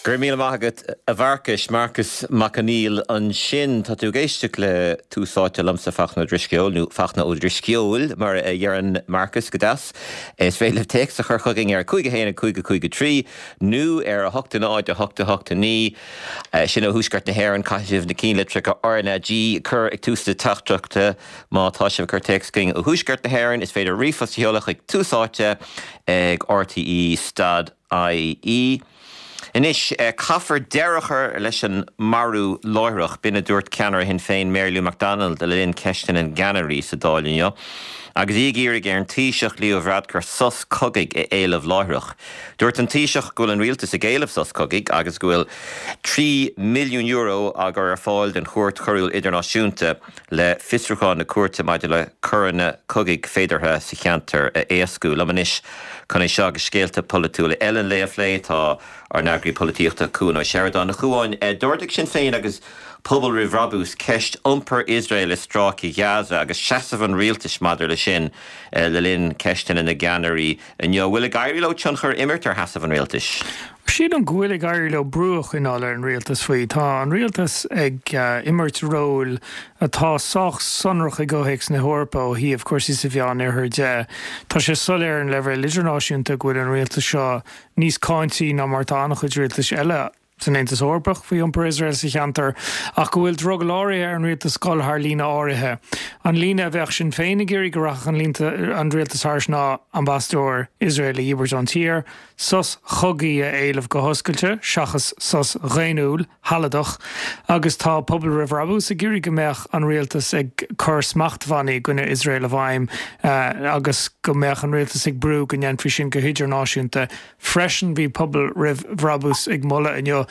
Go raibh míle maith agat, a Mharcais. Marcas Mac Conghail ansin. Tá tú ag éisteacht le Tús Áite liomsa, Fachtna Ó Drisceoil, nó Fachtna Ó Drisceoil, mar a dheireann Marcas go deas. Is féidir libh téacs a chur chugainn ar 5 1 5 5 3 nó ar 8 0 8 8 9. Sin ó Thuaisceart na hÉireann. Caithfidh sibh na cinnlitreacha RnaG a chur ag tús na teachtaireachta. Má tá sibh ag cur téacs chugainn ó Thuaisceart na hÉireann, is féidir ríomhphost a sheoladh chuig Tús Áite ag RTÉ stad IE. Anois, caithfear deireadh a chur leis an marú láithreach, b'in a dúirt ceannaire Shinn Féin Mary Lou McDonald le linn Ceisteanna na gCeannairí sa Dáil inniu, agus í ag iarraidh ar an Taoiseach Leo Varadkar sos cogaidh a éileamh láithreach. Dúirt an Taoiseach go bhfuil an rialtas ag éileamh sos cogaidh agus go bhfuil €3 milliún á gcur ar fáil don Chúirt Choiriúil Idirnáisiúnta le fiosrúchán na cúirte maidir le coireanna cogaidh féideartha sa cheantar a éascú. Liom anois chun é seo agus scéalta polaitiúla eile an lae a phlé tá ár n-eagraí polaitíochta Cuan Ó Seireadáin. A Chuáin, d'ardaigh Sinn Féin agus Pobal Roimh Bhrabús ceist iompar Iosrael i Stráice Ghaza agus seasamh an rialtais maidir leis sin le linn ceisteanna na gceannairí inniu. An bhfuil ag éirí leo tionchar a imirt ar sheasamh an rialtais? Sílim go bhfuil ag éirí leo brú a choinneáil ar an rialtas faoi. Tá an rialtas ag imirt róil atá sách sonrach i gcomhthéacs na hEorpa ó thaobh cúrsaí sa Mheánoirthear de. Tá sé soiléir ar an leibhéal idirnáisiúnta go bhfuil an rialtas seo níos cáintí ná mar atá an-chuid rialtais eile san Aontas Eorpach faoi iompar Iosrael sa cheantar, ach go bhfuil drogall áirithe ar an rialtas dul thar líne áirithe. An líne a bheadh Sinn Féin ag iarraidh go rachadh an rialtas thairis ná ambasadóir Iosrael a dhíbirt ón tír, sos chogaidh a éileamh go hoscailte, seachas sos dhaonnúil, shealadach, agus tá Pobal Roimh Bhrabús ag iarraidh go mbeadh an rialtas ag cur smachtbhannaí i gcoinne Iosrael i bhfeidhm agus go mbeadh an rialtas ag brú go ndéanfaí sin go hidirnáisiúnta. Freisin bhí Pobal Roimh Bhrabús ag moladh inniu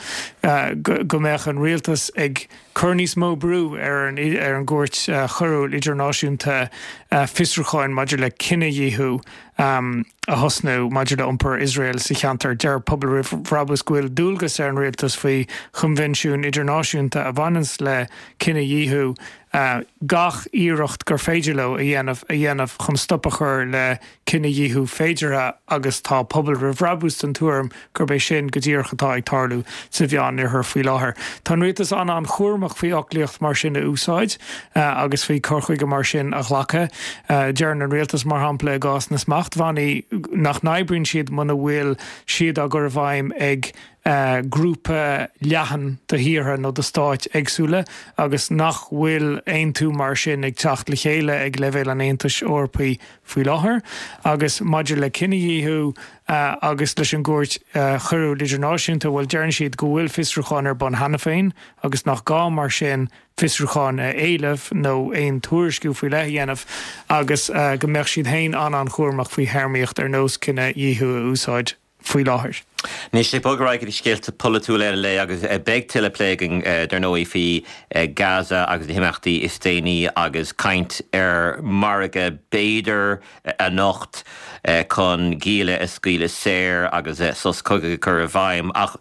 go mbeadh an rialtas ag cur níos mó brú ar an ar an gCúirt Choiriúil Idirnáisiúnta fiosrúcháin maidir le cinedhíothú a thosnú maidir le iompar Iosrael sa cheantar. Deir Pobal Roimh Bhrabús go bhfuil dualgas ar an rialtas faoi choinbhinsiúin idirnáisiúnta a bhaineanns le cinedhíothú gach iarracht gur féidir leo a dhéanamh a dhéanamh chun stop a chur le cinedhíothú féideartha agus tá Pobal Roimh Bhrabús den tuairim gurb é sin go díreach atá ag tarlú sa Mheánoirthear faoi láthair. Tá an rialtas an-an-chúramach faoi fhoclaíocht mar sin a úsáid agus faoi cur chuige mar sin a ghlacadh. Deireann an rialtas, mar shampla i gcás na smachtbhannaí, nach n-oibríonn siad muna bhfuil siad á gcur i bhfeidhm ag grúpa leathan de thíortha nó de stáit éagsúla agus nach bhfuil aontú mar sin ag teacht le chéile ag leibhéal an Aontais Eorpaigh faoi láthair. Agus maidir le cinedhíothú agus leis an gCúirt Choiriúil Idirnáisiúnta, bhuel, deireann siad go bhfuil fiosrúchán ar bun cheana féin agus nach gá mar sin fiosrúchán a éileamh nó aon tuairisciú faoi leith a dhéanamh agus go mbeadh siad féin an-an-chúramach faoi théarmaíocht ar nós cinedhíothú a úsáid. faoi láthair. Anois, ag bogadh ar aghaidh go dtí scéalta polaitiúla eile an lae agus beidh tuilleadh plé againn dar ndóigh faoi Gaza agus na himeachtaí is déanaí agus caint ar mhargadh b'fhéidir anocht chun gialla a scaoileadh saor agus sos cogaidh a chur i bhfeidhm ach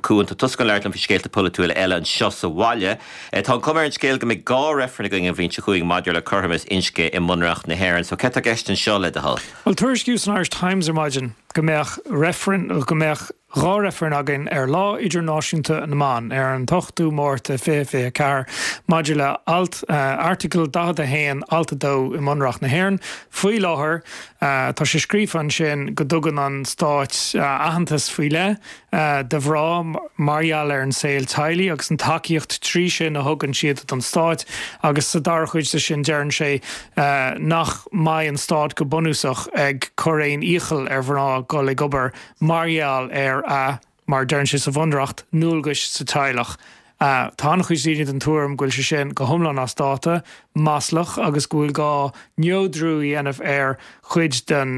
Cuan, tá tusa chun labhairt liom faoi scéalta polaitiúla eile anseo sa bhaile. Tá an chuma ar an scéal go mbeidh 2 reifreann againn an bhliain seo chugainn maidir le cothromas inscne i mBunreacht na hÉireann. So céard tá i gceist anseo, le do thoil? Bhuel, tuairiscíodh san Irish Times ar maidin go mbeadh reifreann, go mbeadh 2 reifreann againn ar Lá Idirnáisiúnta na mBan, ar an t-ochtú Márta 2024, maidir le alt, Article 41, Alt 2 i mBunreacht na hÉireann. Faoi láthair, tá sé scríofa ansin go dtugann an Stáit aitheantas faoi leith, do mhná mar gheall ar an saol teaghlaigh agus an tacaíocht trí sin a thugann siad don Stát agus sa dara cuid de sin deireann sé nach mbeidh an Stát go bunúsach ag cur aon iachall ar mhná dul ag obair mar gheall ar a, mar a deireann sé sa Bhunreacht, ndualgais sa teaghlach. Tá an-chuid daoine den tuairim go bhfuil sé sin go hiomlán as dáta, maslach agus go bhfuil gá neodrú a dhéanamh ar chuid den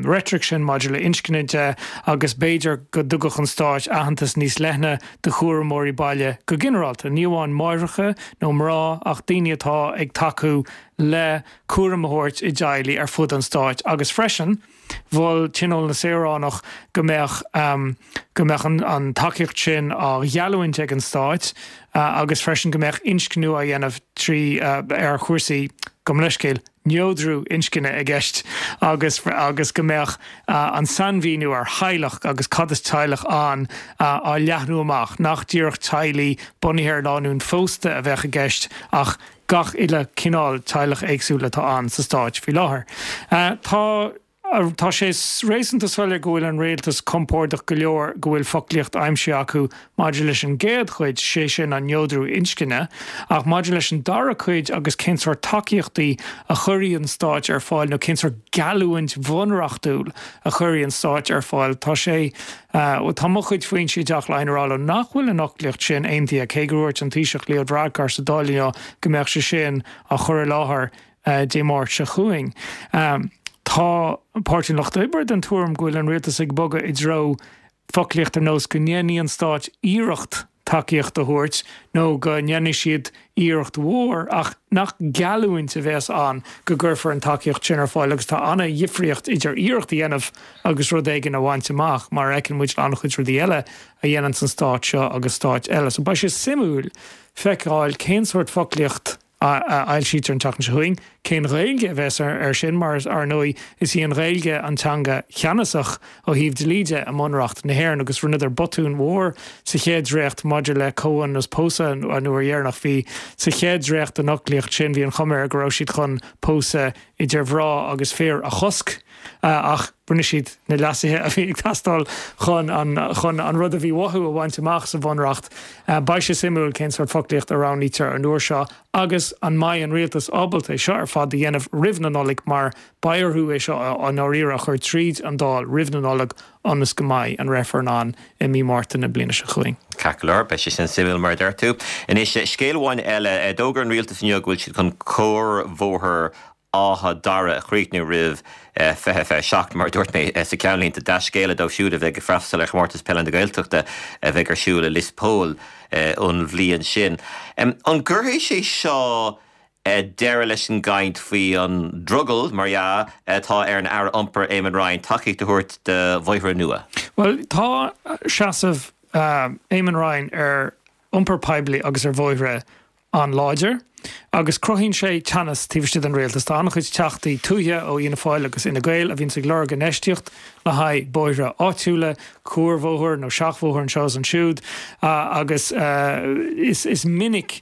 reitric sin maidir le inscne de agus b'fhéidir go dtugfadh an Stáit aitheantas níos leithne do chúramóirí baile go ginearálta, ní amháin máithreacha nó mná ach daoine atá ag tacú le cúram a thabhairt i dteaghlaigh ar fud an Stáit agus freisin. Mhol Tionól na Saoránach go mbeadh go mbeadh an tacaíocht sin á gheallúint ag an Stáit agus freisin go mbeadh inscniú á dhéanamh trí ar chúrsaí, gabh mo leithscéal, neodrú inscne i gceist agus agus go mbeadh an sainmhíniú ar theaghlach agus cad is teaghlach ann á leathnú amach, nach díreach teaghlaigh bunaithe ar lánúin phósta a bheadh i gceist ach gach uile cineál teaghlach éagsúil atá ann sa stáit faoi láthair. Tá. Tá sé réasúnta soiléir go bhfuil an rialtas compordach go leor go bhfuil foclaíocht aimsithe acu maidir leis an gcéad chuid, sé sin an neodrú inscne, ach maidir leis an dara cuid agus cén sórt tacaíochtaí a chuirfidh an stáit ar fáil nó cén sórt geallúint bhunreachtúil a chuirfidh an stáit ar fáil, tá sé, tá mo chuid foinsí i dTeach Laighean ag rá liom nach bhfuil an fhoclaíocht sin aontaithe, cé gur dhúirt an Taoiseach Leo Varadkar sa Dáil inniu go mbeadh sé sin á chur i láthair Dé Máirt seo chugainn. Tá Páirtí an Lucht Oibre den tuairim go bhfuil an rialtas ag bogadh i dtreo foclaíocht ar nós go ndéanfaidh an stát iarracht tacaíocht a thabhairt nó go ndéanfaidh siad iarracht mhór ach nach geallúint a bheas ann go gcuirfear an tacaíocht sin ar fáil agus tá an-dhifríocht idir iarracht a dhéanamh agus rud éigin a bhaint amach mar a fheiceann muid le an-chuid rudaí eile a dhéananns an stát seo agus stáit eile. So beidh sé suimiúil feiceáil cén sórt foclaíocht a fhoilsítear an tseachtain seo chugainn. Cén Ghaeilge a bheas air sin mar, ar ndóigh, is í an Ghaeilge an teanga cheannasach ó thaobh dlí de i mBunreacht na hÉireann agus rinneadar botún mhór sa chéad dréacht maidir le comhionannas pósadh an uair dheireanach. Bhí sa chéad dréacht den fhoclaíocht sin, bhí an chuma air go raibh siad chun pósadh idir mhná agus fir a chosc ach rinne siad na leasuithe a bhí ag teastáil chun an chun an rud a bhí uathu a bhaint amach sa Bhunreacht. Beidh sé suimiúil cén sórt foclaíocht a roghnaítear an uair seo agus an mbeidh an rialtas ábalta é seo ar fad a dhéanamh roimh na Nollag mar beidh orthu é seo i ndáiríre a chur tríd an Dáil roimh na Nollag ionas go mbeidh an reifreann ann i mí Márta na bliana seo chugainn. Ceart go leor, beidh sé sin suimiúil mar a deir tú. Anois, scéal amháin eile, d'fhógair an rialtas inniu go bhfuil siad chun cuarbhóthar Áth Dara a chríochnú roimh 2027, mar a dúirt mé sa ceannlínte. Dea-scéala dóibh siúd a bheidh ag freastal ar Chomórtas Peile na Gaeltachta a bheidh ar siúl i Lios Póil an bhliain sin. An gcuirfidh sé seo deireadh leis an gcaint faoi an drogall, mar dhea, atá ar an Aire Iompair Eamon Ryan tacaíocht a thabhairt do bhóithre nua. Bhuel, tá seasamh Eamon Ryan ar iompar poiblí agus ar bhóithre an-láidir agus cruthaíonn sé teannas taobh istigh den rialtas. Tá an-chuid teachtaí tuaithe ó Fhianna Fáil agus Fhine Gael a bhíonns ag lorg infheistíocht le haghaidh bóithre áitiúla, cuarbhóthar nó seachbhóthar anseo is ansiúd agus is minic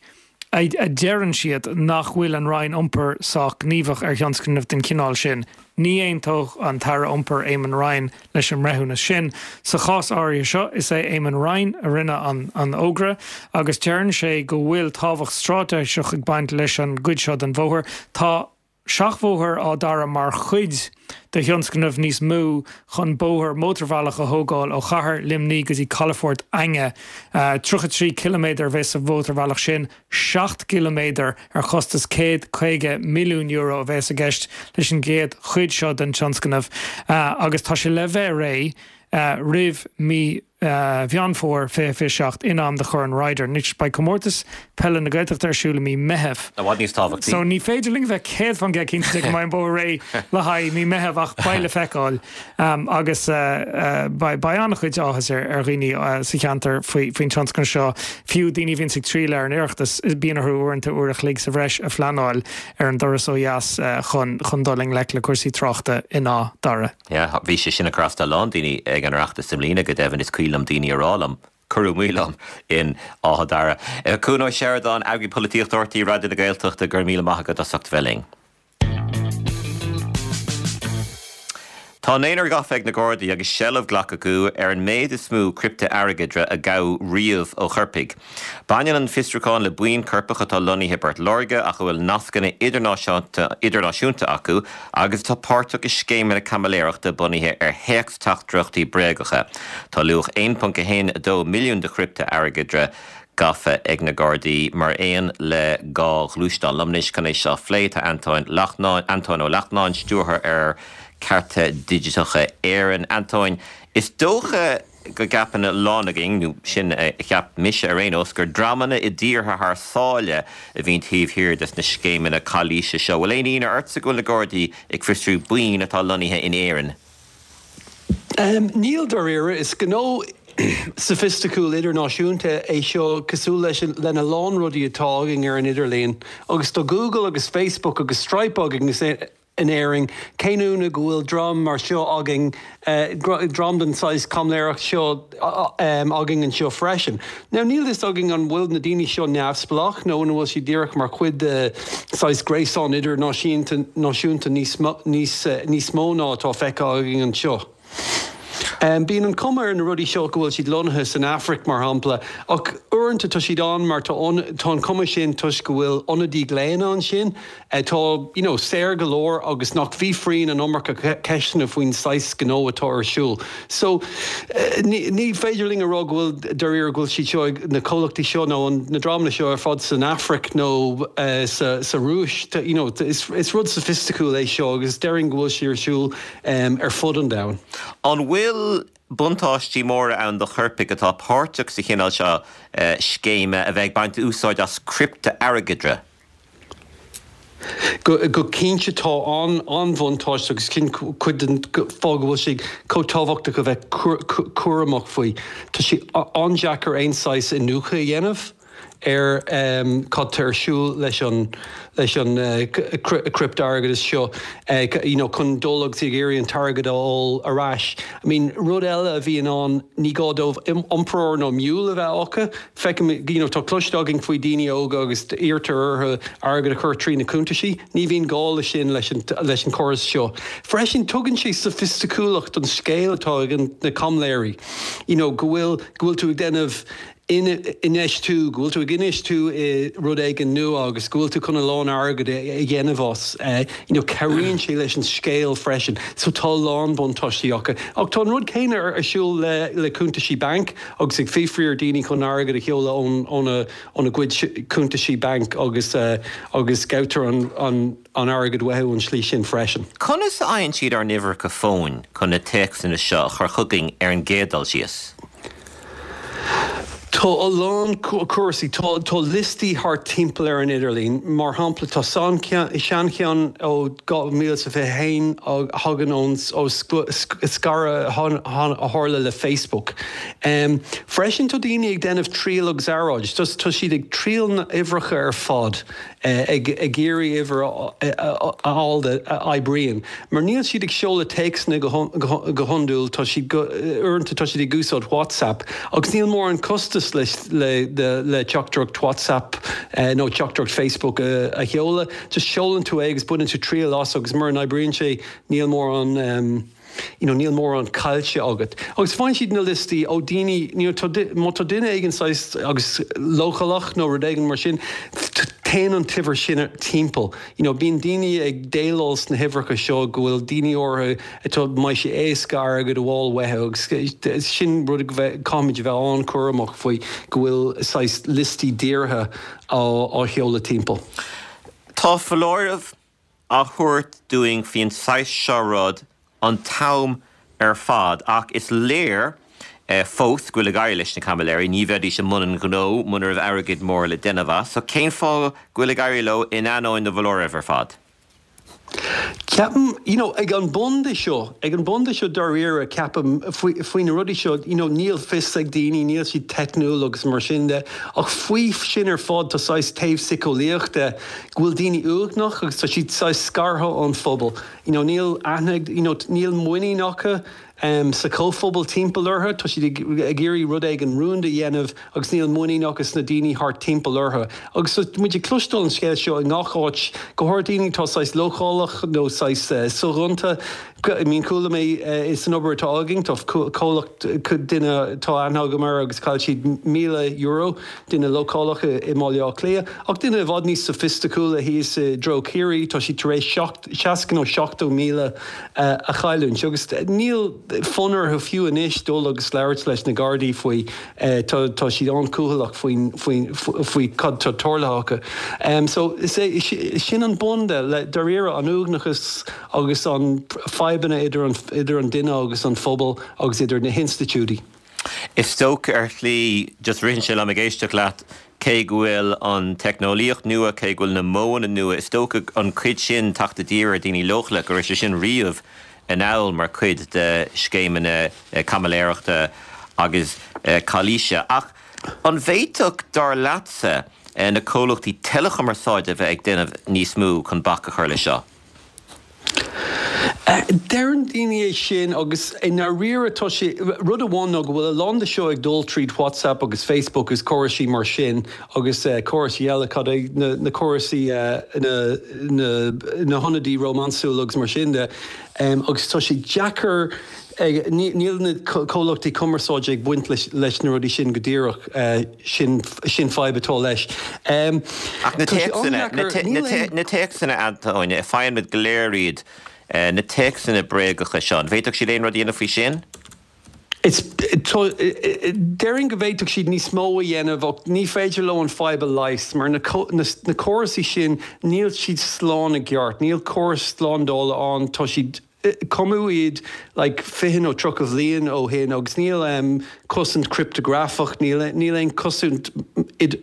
a deireann siad nach bhfuil an Roinn Iompair sách gníomhach ar thionscnaimh den chineál sin. Ní aontódh an tAire Iompair Eamon Ryan leis an mbreithiúnas sin. Sa chás áirithe seo, is é Eamon Ryan a rinne an fhógra agus deireann sé go bhfuil tábhacht straitéiseach ag baint leis an gcuid seo den bhóthar. Tá. Seachbhóthar á dearadh mar chuid de thionscnamh níos mó chun bóthar mótarbhealach a thógáil ó chathair Luimnigh go dtí calafort Fhainge. 33 ciliméadar a bheas sa mhótarbhealach sin, 7 gciliméadar ar chostas €150 milliún a bheas i gceist leis an gcéad chuid seo den tionscnamh agus tá sé le bheith réidh roimh mí Mheán Fómhair 2027 in am do Chorn Ryder. Anois, beidh Comórtas Peile na Gaeltachta ar siúl i mí Meitheamh. I bhfad níos tábhachtaí. So ní féidir linn a bheith 100% cinnte de go mbeidh an bóthar réidh le haghaidh mí Meitheamh ach beidh le feiceáil. Agus beidh an-chuid áthas ar dhaoine sa cheantar faoin tionscnamh seo. Fiú daoine a bhíonns ag triall ar an Oireachtas, bíonn orthu uaireanta uair a chloig sa bhreis a phleanáil ar an dturas ó dheas chun dul i ngleic le cúrsaí tráchta in Áth Dara. Yeah, bhí sé sin ag cur as do a lán daoine ag an Oireachtas i mbliana, go deimhin, is cuimhin liom daoine a rá liom, cuireadh moill orm in Áth Dara. Cuan Ó Seireadáin, Eagraí Polaitíochta RTÉ Raidió na Gaeltachta, go raibh míle maith agat as ucht a bheith linn. Tá naonúr gafa ag na Gardaí agus seilbh glactha acu ar an méid is mó criptea-airgeadra a gabhadh riamh ó choirpigh. Baineann an fiosrúchán le buíon coirpeach atá lonnaithe i bPort Láirge ach a bhfuil nascanna idirnáisiúnta acu agus atá páirteach i scéimeanna caimiléireachta bunaithe ar théacs-teachtaireachtaí bréagacha. Tá luach 1.12 milliún de chriptea-airgeadra gafa ag na Gardaí mar aon le 2 ghluaisteán. Liom anois chun é seo a phlé tá Antóin Antóin Ó Lachtnáin, Stiúrthóir ar Cearta Digiteacha Éireann. Antóin, is dócha go gceapann a lán againn, nó sin a cheap mise ar aon nós, gur dreamanna i dtíortha thar sáile a bhíonn taobh thiar des na scéimeanna calaoise seo. Bhfuil aon ionadh ortsa go bhfuil na Gardaí ag fiosrú buíon atá lonnaithe in Éirinn? Níl, dáiríre. Is gnó. Soifisticiúil idirnáisiúnta é seo cosúil leis lena lán rudaí atá againn ar an idirlíon. Agus tá Google agus Facebook agus Stripe againn in Éirinn, cén ionadh go bhfuil dream mar seo againn, dream den saghas caimiléireacht seo againn anseo freisin. Now níl fhios againn an bhfuil na daoine seo neamhspleách nó an bhfuil siad díreach mar chuid de saghas gréasán idirnáisiúnta níos mó ná atá feicthe againn anseo. Bíonn an chuma ar na rudaí seo go bhfuil siad lonnaithe san Afraic, mar shampla, ach uaireanta tá siad ann mar tá an chuma sin toisc go bhfuil ionadaí glaonna ansin atá, you know, saor go leor agus nach bhfiafraíonn an iomarca ceisteanna faoin saghas gnó atá ar siúl. So, ní féidir linn a rá go bhfuil, dáiríre, go bhfuil siad seo ag, na comhlachtaí seo nó na dreamanna seo ar fad san Afraic nó sa Rúis, you know, is rud soifisticiúil é seo agus déarfainn go bhfuil sé ar siúl ar fud an domhain. An bhfuil buntáistí móra ann do choirpigh atá páirteach sa chineál seo scéime a bheith ag baint úsáid as criptea-airgeadra? Go cinnte tá an-bhuntáiste agus sin cuid den fáth go bhfuil sé chomh tábhachtach a bheith cúramach faoi. Tá sé an-deacair aon saghas iniúchadh a dhéanamh. ar cad tá ar siúl leis an leis an criptea-airgeadas seo you know chun dul agus ag iarraidh an t-airgead a fháil ar ais. I mean rud eile a bhíonn ann ní gá dóibh iompróir nó mule a bheith acu. Feicim you know tá cloiste againn faoi daoine óga agus iarrtar orthu airgead a chur trí na cuntaisí. Ní bhíonn gá leis sin leis an leis an chóras seo. Freisin tugann sé soifisticiúlacht don scéal atá ag na caimiléirí. You know go bhfuil go bhfuil tú ag déanamh infheistiú, go bhfuil tú ag infheistiú i rud éigin nua agus go bhfuil tú chun a lán airgid a dhéanamh as, you know, cabhraíonn sé leis an scéal freisin. So tá a lán buntáistí acu. Ach tá an rud céanna ar siúl le le cuntaisí bainc agus ag fiafraí ar daoine chun airgead a sheoladh ón óna óna gcuid cuntaisí bainc agus agus gabhtar an an an airgead uathu an tslí sin freisin. Conas a fhaigheann siad ár n-uimhreacha fóin chun na téacsanna seo a chur chugainn ar an gcéad dul síos? Tá a lán cúrsaí. Tá liostaí thart timpeall ar an idirlíon. Mar shampla, tá seancheann ó 2021 a thagann ón ó scaradh a tharla le Facebook. Freisin tá daoine ag déanamh triail agus earráid. Tá siad ag triail na n-uimhreacha ar fad. ag iarraidh uimhir a fháil a oibríonn. Mar níl siad ag seoladh téacsanna go hiondúil, tá siad, uaireanta tá siad ag úsáid WhatsApp agus níl mórán costas le teachtaireacht WhatsApp nó teachtaireacht Facebook a sheoladh. Just seolann tú é agus baineann tú triail as agus mura n-oibríonn sé níl mórán. you know, níl mórán caillte agat. Agus faigheann siad na liostaí ó daoine, you know, tá, má tá duine éigin saghas agus leochaileach nó rud éigin mar sin, téann an t-uimhir sin timpeall. You know, bíonn daoine ag déileáil sna huimhreacha seo go bhfuil daoine orthu atá, mbeidh sé éasca airgead a fháil uathu agus sin rud a caithfimid a bheith an-chúramach faoi, go bhfuil saghas liostaí dírithe á, á sheoladh timpeall. Tá foláireamh á thabhairt dúinn faoin saghas seo rud an t-am ar fad ach is léir fós go bhfuil ag éirí leis na caimiléirí, ní bheidís i mbun an ghnó muna raibh airgead mór le déanamh as. So cén fáth go bhfuil ag éirí leo in ainneoin na bhfoláireamh ar fad? Ceapaim, you know, ag an bun de seo, ag an bun de seo dáiríre, ceapaim, faoi, faoi na rudaí seo, you know, níl fios ag daoine, níl siad teicniúil agus mar sin de, ach faoi sin ar fad tá saghas taobh síceolaíoch de, go bhfuil daoine uaigneach agus tá siad saghas scartha ón phobal. You know, níl aithne ag, you know, níl muinín acu sa chomhphobal timpeall orthu, tá siad ag, ag iarraidh rud éigin rúnda a dhéanamh agus níl muinín acu sna daoine thart timpeall orthu. Agus tá muid ag cloisteáil an scéal seo i ngach áit, go háirid daoine atá saghas leochaileach nó saghas soghonta. I mean, chuala mé san obair atá againn, tá comhlacht, duine atá aithne agam air agus chaill siad €1,000, duine leochaileach i mBaile Átha Cliath, ach duine i bhfad níos soifisticiúla thíos i dtreo Chiarraí, tá siad tar éis 60 nó 70,000 a chailliúint agus níl fonn orthu fiú anois dul agus labhairt leis na Gardaí faoi, tá siad an-chúthaileach faoi cad tá tarlaithe acu. So is é sin an bun de, le dáiríre, an uaigneachas agus an fadhbanna idir an idir an duine agus an phobal agus idir na hinstitiúidí. Is dócha ar shlí, just ritheann sé liom ag éisteacht leat, cé go bhfuil an teicneolaíocht nua, cé go bhfuil na modhanna nua, is dócha an cuid sin, teacht i dtír ar daoine leochaileach, go raibh sé sin riamh anall mar chuid de scéimeanna caimiléireachta. agus calaoise. Ach an bhféadfadh, dar leatsa, na comhlachtaí teileachumarsáide a bheith ag déanamh níos mó chun bac a chur leis seo? Deireann daoine é sin agus i ndáiríre tá sé, rud amháin ná go bhfuil a lán de seo ag dul tríd WhatsApp agus Facebook agus córaisí mar sin agus córaisí eile, cad é, na córaisí, na, na, na hionadaí rómánsúla agus mar sin de agus tá sé deacair, níl na comhlachtaí cumarsáide ag baint leis na rudaí sin go díreach, sin, sin fadhb atá leis. Ach na téacsanna, na téacsanna, Antóin, faigheann muid go léir iad, na téacsanna bréagacha seo, an bhféadfadh siad aon rud a dhéanamh faoi sin? Is, tá, déarfainn go bhféadfadh siad níos mó a dhéanamh ach ní féidir leo an fadhb a leigheas mar na, na, na córasaí sin, níl siad slán i gceart, níl córas slándála ann, tá siad, Cumadh iad like 20 nó 30 bhliain ó shin agus níl cosaint cripteagrafach, níl níl aon cosaint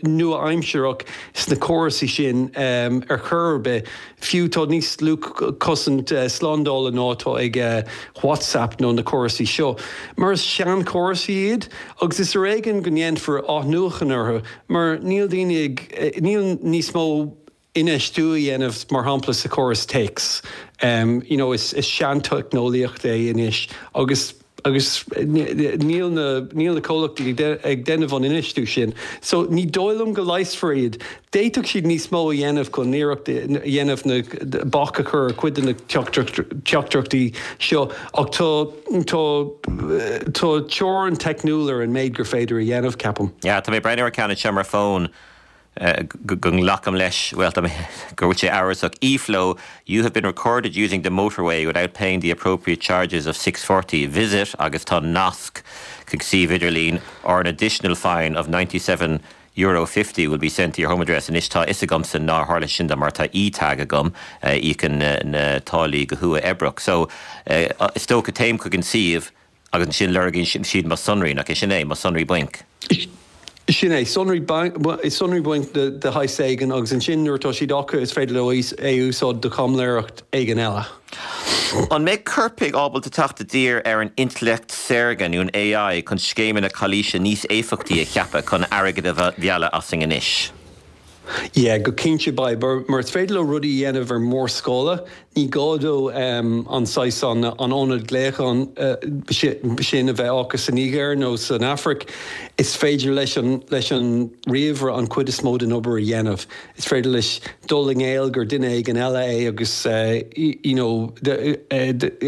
nua-aimsearach sna córasaí sin ar chor ar bith. Fiú tá níos lú cosaint slándála ná atá ag WhatsApp nó na córasaí seo. Mar is seanchórasaí iad agus is ar éigean go ndéanfar athnuachan orthu mar níl daoine ag níl níos mó infheistiú a dhéanamh, mar shampla, sa chóras téacs. You know, is seanteicneolaíocht é anois agus agus níl na níl na comhlachtaí ag déanamh an infheistiú sin. So ní dóigh liom go leigheasfar iad. D'fhéadfadh siad níos mó a dhéanamh chun iarracht a dhéanamh na bac a chur ar chuid de na teachtaireachtaí seo ach tá tá tá teorainn teicniúil ar an méid gur féidir a dhéanamh, ceapaim. Yeah, tá mé ag breathnú ar ceann anseo ar mo fón. go nglacaim leis, bhuel, tá mé, go bhfuil sé amhrasach, eFlow, you have been recorded using the motorway without paying the appropriate charges of 6.40, visit agus tá nasc chuig suíomh idirlín or an additional fine of €97.50 will be sent to your home address. Anois tá a fhios agamsa nár tharla sin dom mar tá e-tag agam a íocann na táillí go huathoibríoch. So, is dócha téim chuig an suíomh Agus ansin lorgaíonn siad mo sonraí, nach é sin é? Mo sonraí bainc. Sin é, sonraí sonraí bainc de shaghas éigin agus ansin nuair atá siad acu is féidir leo é a úsáid do chaimiléireacht éigin eile. An mbeidh coirpigh ábalta teacht i dtír ar an intleacht saorga nó an AI chun scéimeanna calaoise níos éifeachtaí a cheapadh chun airgead a mhealladh asainn anois? Yeah, go cinnte beidh, mar is féidir leo rudaí a dhéanamh ar mórscála. Ní gá dó an saghas, an ionad glaocháin sin a bheith acu sa Nigéir nó san Afraic. Is féidir leis an leis an ríomhaire an chuid is mó den obair a dhéanamh. Is féidir leis dul i ngiall gur duine éigin eile é agus you know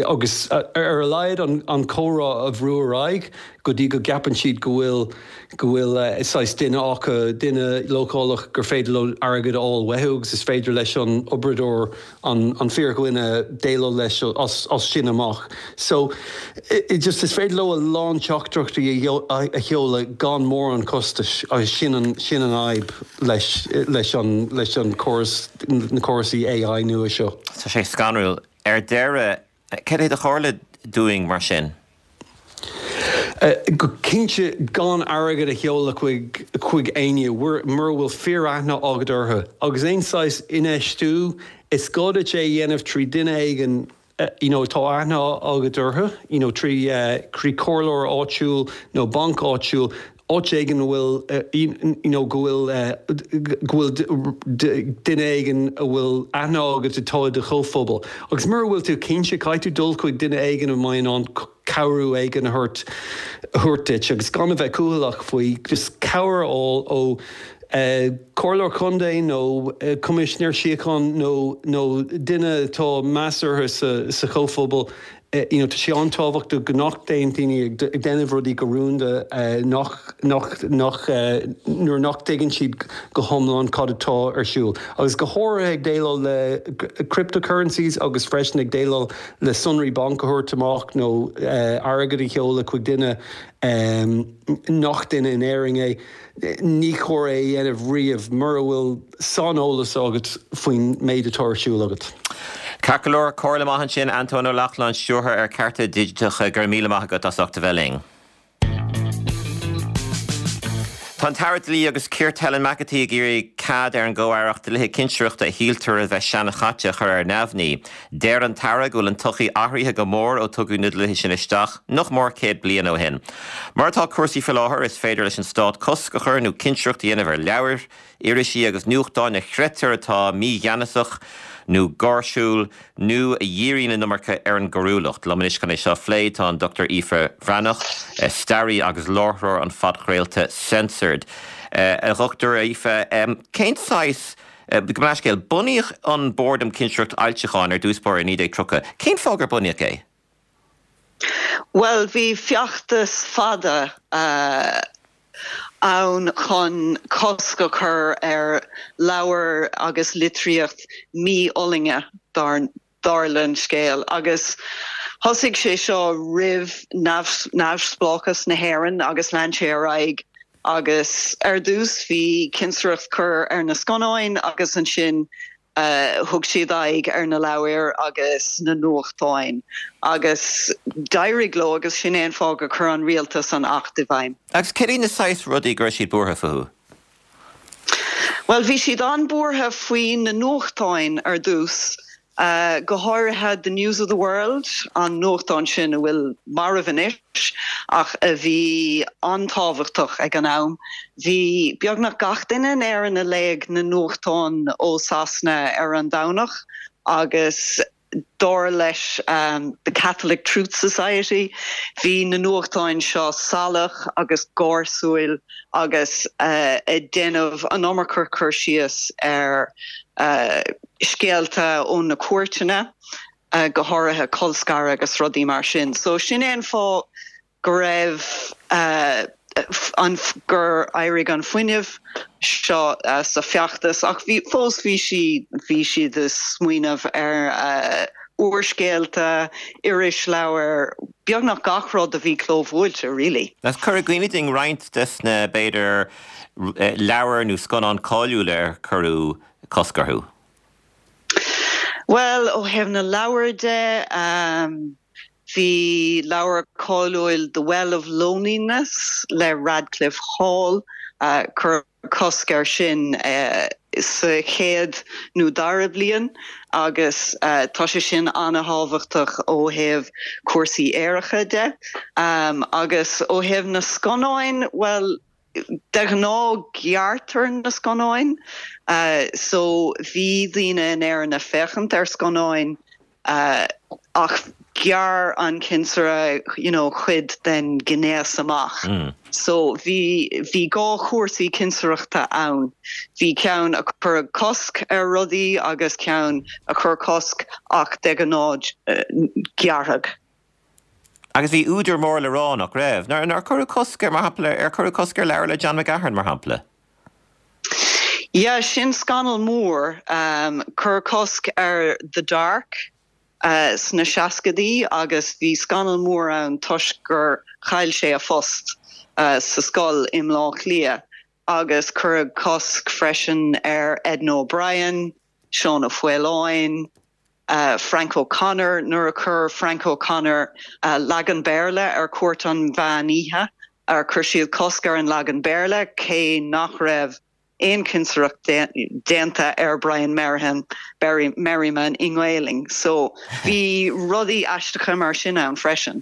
agus ar a laghad an comhrá a bhrú ar aghaidh go dtí go gceapann siad go bhfuil go bhfuil saghas duine acu, duine leochaileach gur féidir leo airgead a fháil uathu agus is féidir leis an oibreoir, an fíordhuine, déileáil leis as sin amach. So, just is féidir leo a lán teachtaireachtaí a sheoladh gan mórán costais agus sin an, sin an fhadhb leis, leis an, leis an córas, na córasaí AI nua seo. Tá sé scanrúil. Ar deireadh, Cad é do chomhairle dúinn mar sin? Go cinnte gan airgead a sheoladh chuig chuig éinne mura bhfuil fíor-aithne agat orthu. Agus aon saghas infheistiú, is gá duit é a dhéanamh trí duine éigin you know atá aithne agat orthu, you know trí trí comhairleoir áitiúil nó banc áitiúil. áit éigin a bhfuil you know go bhfuil go bhfuil duine éigin a bhfuil aithne agat atá i do chomhphobal. Agus mura bhfuil tú cinnte, caithfidh tú dul chuig duine éigin a mbeidh in ann cabhrú éigin a thabhairt a thabhairt duit agus gan a bheith cúthaileach faoi, just cabhair a fháil ó comhairleoir contae nó coimisinéir síochána nó nó duine atá meas orthu sa sa chomhphobal You know, tá sé an-tábhachtach go nach dtéann daoine ag déanamh rudaí go rúnda nach, nach, nach, nuair nach dtuigeann siad go hiomlán cad atá ar siúl. Agus go háirithe ag déileáil le cryptocurrencies agus freisin ag déileáil le sonraí bainc a thabhairt amach nó airgead a sheoladh chuig duine nach duine in Éirinn é. Ní chóir é a dhéanamh riamh mura bhfuil saineolas agat faoin méid atá ar siúl agat. Ceart go leor, comhairle maith ansin, Antóin Ó Lochlainn, Stiúrthóir ar Cearta Digiteacha, go raibh míle maith agat as ucht a bheith linn. Tá an tAire Dlí agus Cirt Helen McEntee ag iarraidh. cead ar an gComh-Aireacht dlíthe cinsireachta a shíltear a bheith seanchaite a chur ar neamhní. Deir an tAire go bhfuil an tsochaí athraithe go mór ó tugadh na dlíthe sin isteach nach mór 100 bliain ó shin. Mar atá cúrsaí faoi láthair, is féidir leis an Stát cosc a chur nó cinsireacht a dhéanamh ar leabhair, irisí agus nuachtáin a chreidtear atá mígheanasach nó gáirsiúil nó a dhíríonn an iomarca ar an gcoiriúlacht. Liom anois chun é seo a phlé tá an Dr Aoife Bhreathnach, staraí agus láithreoir an phodchraolta Censored. A Dhochtúir Aoife, cén saghas, gabh mo leithscéal, bunaíodh an Bord um Cinsireacht Fhoilseacháin ar dtús báire i 1930. Cén fáth gur bunaíodh é? Bhuel, bhí feachtas fada ann chun cosc a chur ar leabhair agus litríocht mífhulaingthe, dar le scéal, agus thosaigh sé seo roimh neamhspleáchas na hÉireann agus lean sé ar aghaidh agus ar dtús bhí cinsireacht cur ar na scannáin agus ansin Thug siad aghaidh ar na leabhair agus na nuachtáin agus d'éirigh leo agus sin é an fáth gur chuir an rialtas an Acht i bhfeidhm. Agus céard iad na saghas rudaí go raibh siad buartha fúthu? Bhuel, bhí siad an-buartha faoi na nuachtáin ar dtús. Go háirithe The News of the World, an nuachtán sin a bhfuil marbh anois ach a bhí an-tábhachtach ag an am. Bhí beagnach gach duine in Éirinn a léigh na nuachtáin ó Sasana ar an Domhnach agus dar leis The Catholic Truth Society bhí na nuachtáin seo salach agus gáirsúil agus ag déanamh an iomarca cur síos ar scéalta ó na cúirteanna, go háirithe colscaradh agus rudaí mar sin. So sin é an fáth go raibh an, gur éirigh an fuinneamh seo sa feachtas ach bhí, fós bhí sí, bhí siad ag smaoineamh ar úrscéalta, irisleabhair, beagnach gach rud a bhí clóbhuailte really. Agus cuir i gcuimhne dúinn roinnt des na, b'fhéidir, leabhair nó scannáin cáiliúla ar cuireadh cosc orthu? Bhuel, ó thaobh na leabhar de, bhí leabhar cáiliúil The Well of Loneliness le Radclyffe Hall, cuireadh cosc air sin sa chéad nó dara bliain agus tá sé sin an-thábhachtach ó thaobh cúrsaí aeracha de. Agus ó thaobh na scannáin, bhuel, De ghnáth gearrtar na scannáin so bhí daoine in Éirinn ag féachaint ar scannáin ach ghearr an cinsire you know cuid den ghnéas amach. So bhí bhí dhá chúrsaí cinsireachta ann. Bhí ceann a chuir cosc ar rudaí agus ceann a chuir cosc ach de ghnáth gearrthadh. Agus bhí údair mór le rá, nach raibh? Nár, nár cuireadh cosc ar, mar shampla, ar cuireadh cosc ar leabhar le John McGahern, mar shampla? Yeah, sin scannal mór. Cuireadh cosc ar The Dark sna seascadaí agus bhí scannal mór ann toisc gur chaill sé a phost sa scoil i mBleá Cliath agus cuireadh cosc freisin ar Edna O'Brien, Seán Ó Faoláin, Frank O'Connor, nuair a chuir Frank O'Connor leagan Béarla ar Chúirt an Mheán Oíche, chuir siad cosc ar an leagan Béarla, cé nach raibh aon chinsireacht déanta ar Brian Merriman i nGaelainn. So, bhí rudaí aisteacha mar sin ann freisin.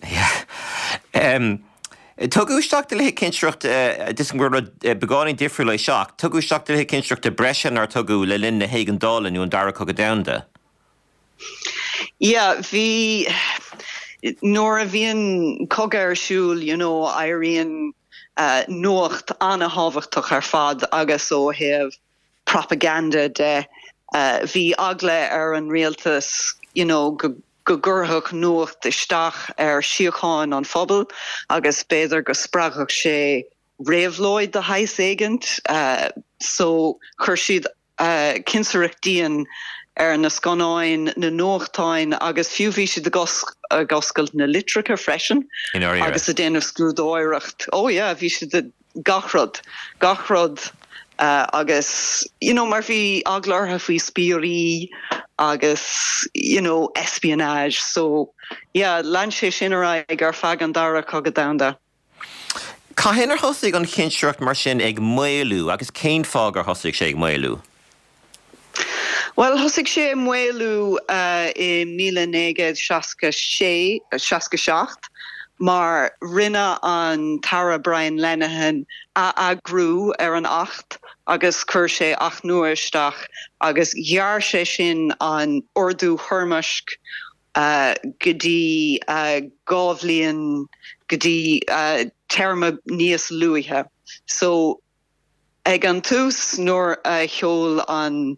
Tugadh isteach dlíthe cinsireachta, tuigim gur rud beagáinín difriúil é seo, ach tugadh isteach dlíthe cinsireachta breise nár tugadh le linn na hÉigeandála nó an Dara Cogadh Domhanda. Yeah, bhí, nuair a bhíonn cogadh ar siúl, you know, éiríonn nuacht an-thábhachtach ar fad agus ó thaobh propaganda de, bhí eagla ar an rialtas, you know, go go gcuirfeadh nuacht isteach ar shíocháin an phobail agus b'fhéidir go spreagfadh sé réabhlóid de shaghas éigint. So chuir siad cinsireacht dian ar na scannáin, na nuachtáin agus fiú bhí siad ag oscailt na litreacha freisin agus ag déanamh scrúdóireacht. Oh yeah, bhí siad ag gach rud, gach rud agus you know mar bhí eagla orthu faoi spiairí agus you know espionage so yeah lean sé sin ar aghaidh ar feadh an Dara Cogadh Domhanda. Cathain ar thosaigh an chinsireacht mar sin ag maolú agus cén fáth gur thosaigh sé ag maolú? Bhuel, thosaigh sé ag maolú i 1966, 67 mar rinne an tAire Brian Lenihan atheagrú ar an Acht agus chuir sé Acht nua isteach agus ghearr sé sin an ordú toirmisc go dtí 2 bhliain, go dtí téarma níos luaithe. So, ag an tús nuair a sheol an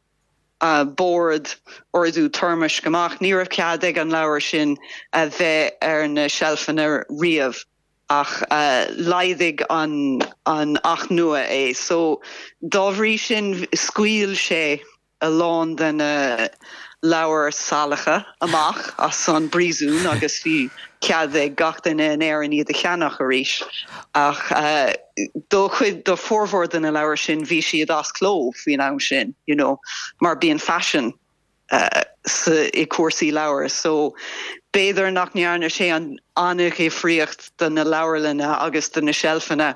Bord ordú toirmisc amach, ní raibh cead ag an leabhar sin a bheith ar na seilfeanna riamh ach laghdaigh an Acht nua é. So, dá bhrí sin scaoil sé a lán de na leabhair salacha amach as an bpríosún agus bhí cead ag gach duine in Éirinn iad a cheannach arís. Ach do chuid, do formhór de na leabhair sin bhí siad as cló faoin am sin, you know, mar bíonn faisean sa, i cúrsaí leabhar. So b'fhéidir nach ndearna sé an an-dhifríocht do na leabharlanna agus do na seilfeanna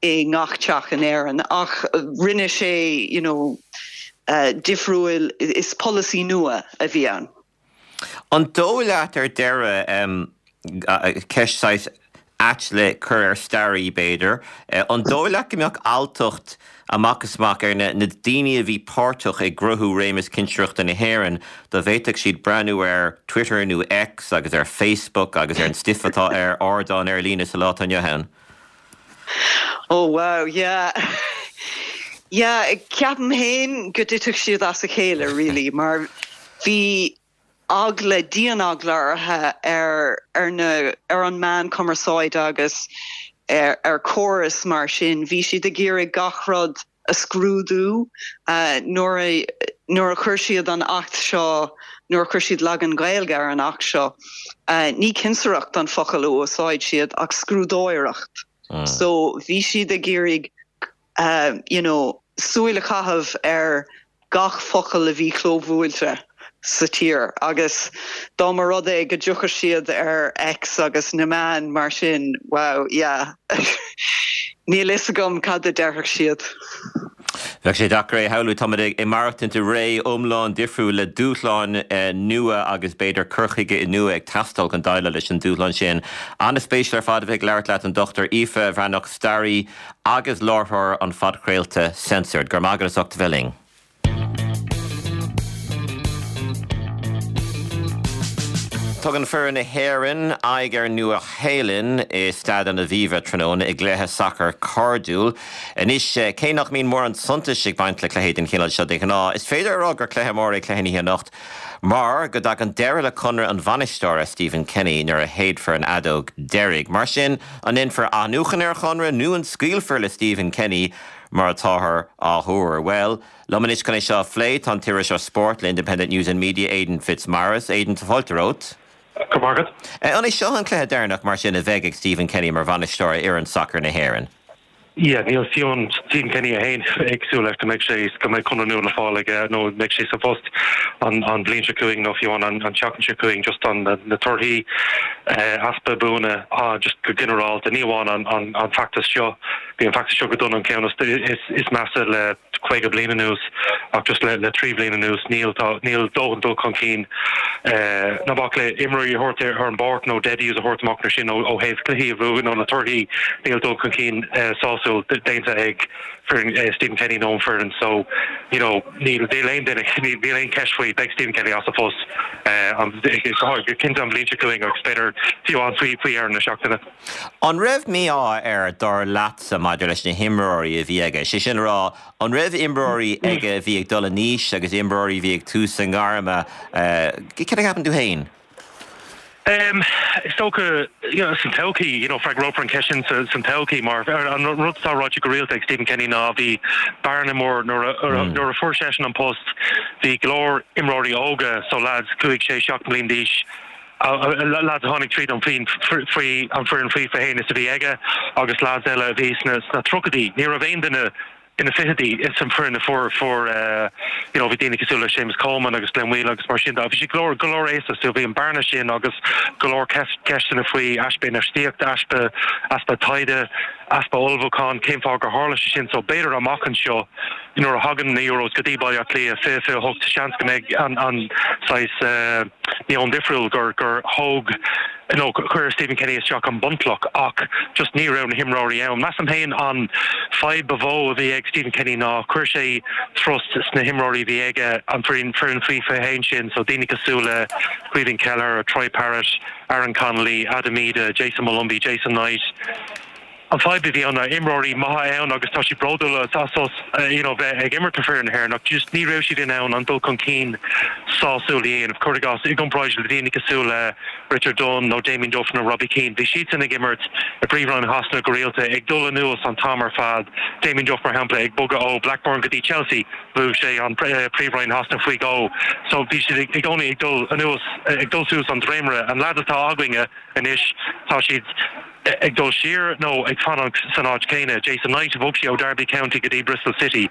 i ngach teach in Éirinn ach rinne sé you know difriúil, is polasaí nua a bhí ann. An dóigh leat ar deireadh, ceist saghas ait le cur ar staraí b'fhéidir, an dóigh leat go mbeadh alltacht amach is amach ar na daoine a bhí páirteach i gcruthú réimeas cinsireachta na hÉireann dá bhféadfadh siad breathnú ar Twitter nó X agus ar Facebook agus ar an stuif atá ar ardáin ar líne sa lá atá inniu ann? Oh wow, yeah. Yeah, ceapaim féin go dtitfeadh siad as a chéile really mar bhí eagla, dian-eagla orthu ar ar na ar an meán cumarsáide agus ar ar córas mar sin. Bhí siad ag iarraidh gach rud a scrúdú nuair a nuair a chuir siad an Acht seo, nuair a chuir siad leagan Gaeilge ar an Acht seo, ní cinsireacht an focal a úsáid siad ach scrúdóireacht. So bhí siad ag iarraidh you know súil a chaitheamh ar gach focal a bhí clóbhuailte sa tír agus dá mba rud é go dtiocfadh siad ar X agus na meáin mar sin, wow, yeah. Níl fhios agam cad a déarfadh siad. Bheadh sé deacair é a shamhlú. Táimid ag maireachtaint i ré iomlán difriúil le dúshláin nua agus b'fhéidir cur chuige nua ag teastáil chun déileáil leis an dúshlán sin. An-spéisiúil ar fad a bheith ag labhairt leat, an Dr Aoife Bhreathnach, staraí agus láithreoir an phodchraolta Censored. Go raibh maith agat as ucht a bheith linn. Tugann foireann na hÉireann aghaidh ar an Nua-Shéalainn i Staid an Aviva tráthnóna i gcluiche sacair cairdiúil. Anois, cé nach mbíonn mórán suntais ag baint le cluichí den chineál seo de ghnáth, is féidir a rá gur cluiche mór é cluiche na hoíche anocht mar go dtagann deireadh le conradh an bhainisteora, Stephen Kenny, nuair a shéidfear an fheadóg deiridh. Mar sin, an ndéanfar athnuachan ar a chonradh nó an scaoilfear le Stephen Kenny mar atáthar á thuar? Bhuel, liom anois chun é seo a phlé tá an t-iriseoir spóirt le Independent News and Media, Aidan Fitzmaurice. Aidan, tá fáilte romhat. Go raibh maith agat. An é seo an cluiche deireanach mar sin a bheidh ag Stephen Kenny mar bhainisteoir ar fhoireann sacair na hÉireann? Yeah, níl fiú amháin Stephen Kenny é féin ag súil leis go mbeidh sé, go mbeidh conradh nua le fáil aige nó mbeidh sé sa phost an bhliain seo chugainn nó fiú amháin an tseachtain seo chugainn just an na torthaí, easpa buanna just go ginearálta, ní amháin an feachtas seo. Bhí an feachtas seo go dona an ceann is measa le 50 bliain anuas ach just le 3 bhliain anuas níl tá níl dóthain dul chun cinn ná bac le imreoirí a thabhairt ar an bpáirc nó debuts a thabhairt amach nó sin ó thaobh cluichí a bhuachan nó na torthaí níl dul chun cinn sásúil déanta ag foireann Stephen Kenny nó an foireann so you know níl níl aon duine níl aon cheist faoi beidh Stephen Kenny as a phost go cinnte an bhliain seo chugainn agus b'fhéidir fiú amháin faoi faoi dheireadh na seachtaine. An raibh mí-ádh air, dar leatsa, maidir leis na himreoirí a bhí aige? Sé sin le rá, an raibh imreoirí aige a bhí ag dul in aois agus imreoirí a bhí ag tús a ngairme? Céard a cheapann tú féin? Is dócha, you know, san todhchaí, you know, freagrófar an cheist sin san todhchaí mar an rud atá ráite go rialta ag Stephen Kenny ná bhí bearna mór nuair a nuair a fuair seisean an post bhí go leor imreoirí óga, so lads cúig, sé, seacht mbliain d'aois, lads a tháinig tríd an faoi an foireann faoi 21 is a bhí aige agus lads eile a bhí sna sna tríochaidí. Ní raibh aon duine. Ina fichidí, is an foireann a fuair, fuair, you know, bhí daoine cosúil le Séamus Coleman agus Glenn Whelan agus mar sin de. Bhí siad go leor, go leor aosta so bhí an bearna sin agus go leor ceisteanna faoi easpa infheistíochta, easpa, easpa taighde, easpa ullmhúcháin, cén fáth gur tharla sé sin. So b'fhéidir amach anseo nuair a thagann na Euros go dtí Baile Átha Cliath 2028 seans go mbeidh an, an saghas meon difriúil gur, gur thóg, nó chuir Stephen Kenny isteach an bunchloch ach just ní raibh na himreoirí ann. Measaim féin an fadhb ba mhó a bhí ag Stephen Kenny ná chuir sé trust sna himreoirí a bhí aige, an foireann faoi 21 sin, so daoine cosúil le Caoimhín Kelleher, Troy Parrott, Aaron Connolly, Adam Idah, Jayson Molumby, Jason Knight. An fadhb a bhí ann ná imreoirí maithe ann agus tá siad bródúil as you know bheith ag imirt do foireann na hÉireann ach just ní raibh siad in ann an dul chun cinn sásúil a dhéanamh. Cuir i gcás, i gcomparáid le daoine cosúil le Richard Dunne nó Damien Duff nó Robbie Keane, bhí siadsan ag imirt i bPríomhroinn Shasana go rialta, ag dul anuas an t-am ar fad. Damien Duff mar shampla ag bogadh ó Blackburn go dtí Chelsea, bhuaigh sé an Príomhroinn Shasana faoi dhó. So bhí siad i gcónaí ag dul anuas, ag dul suas an dréimire. An leaids atá againne anois, tá siad. ag dul siar nó ag fanacht san áit chéanna. Jason Knight, bhog sé ó Derby County go dtí Bristol City.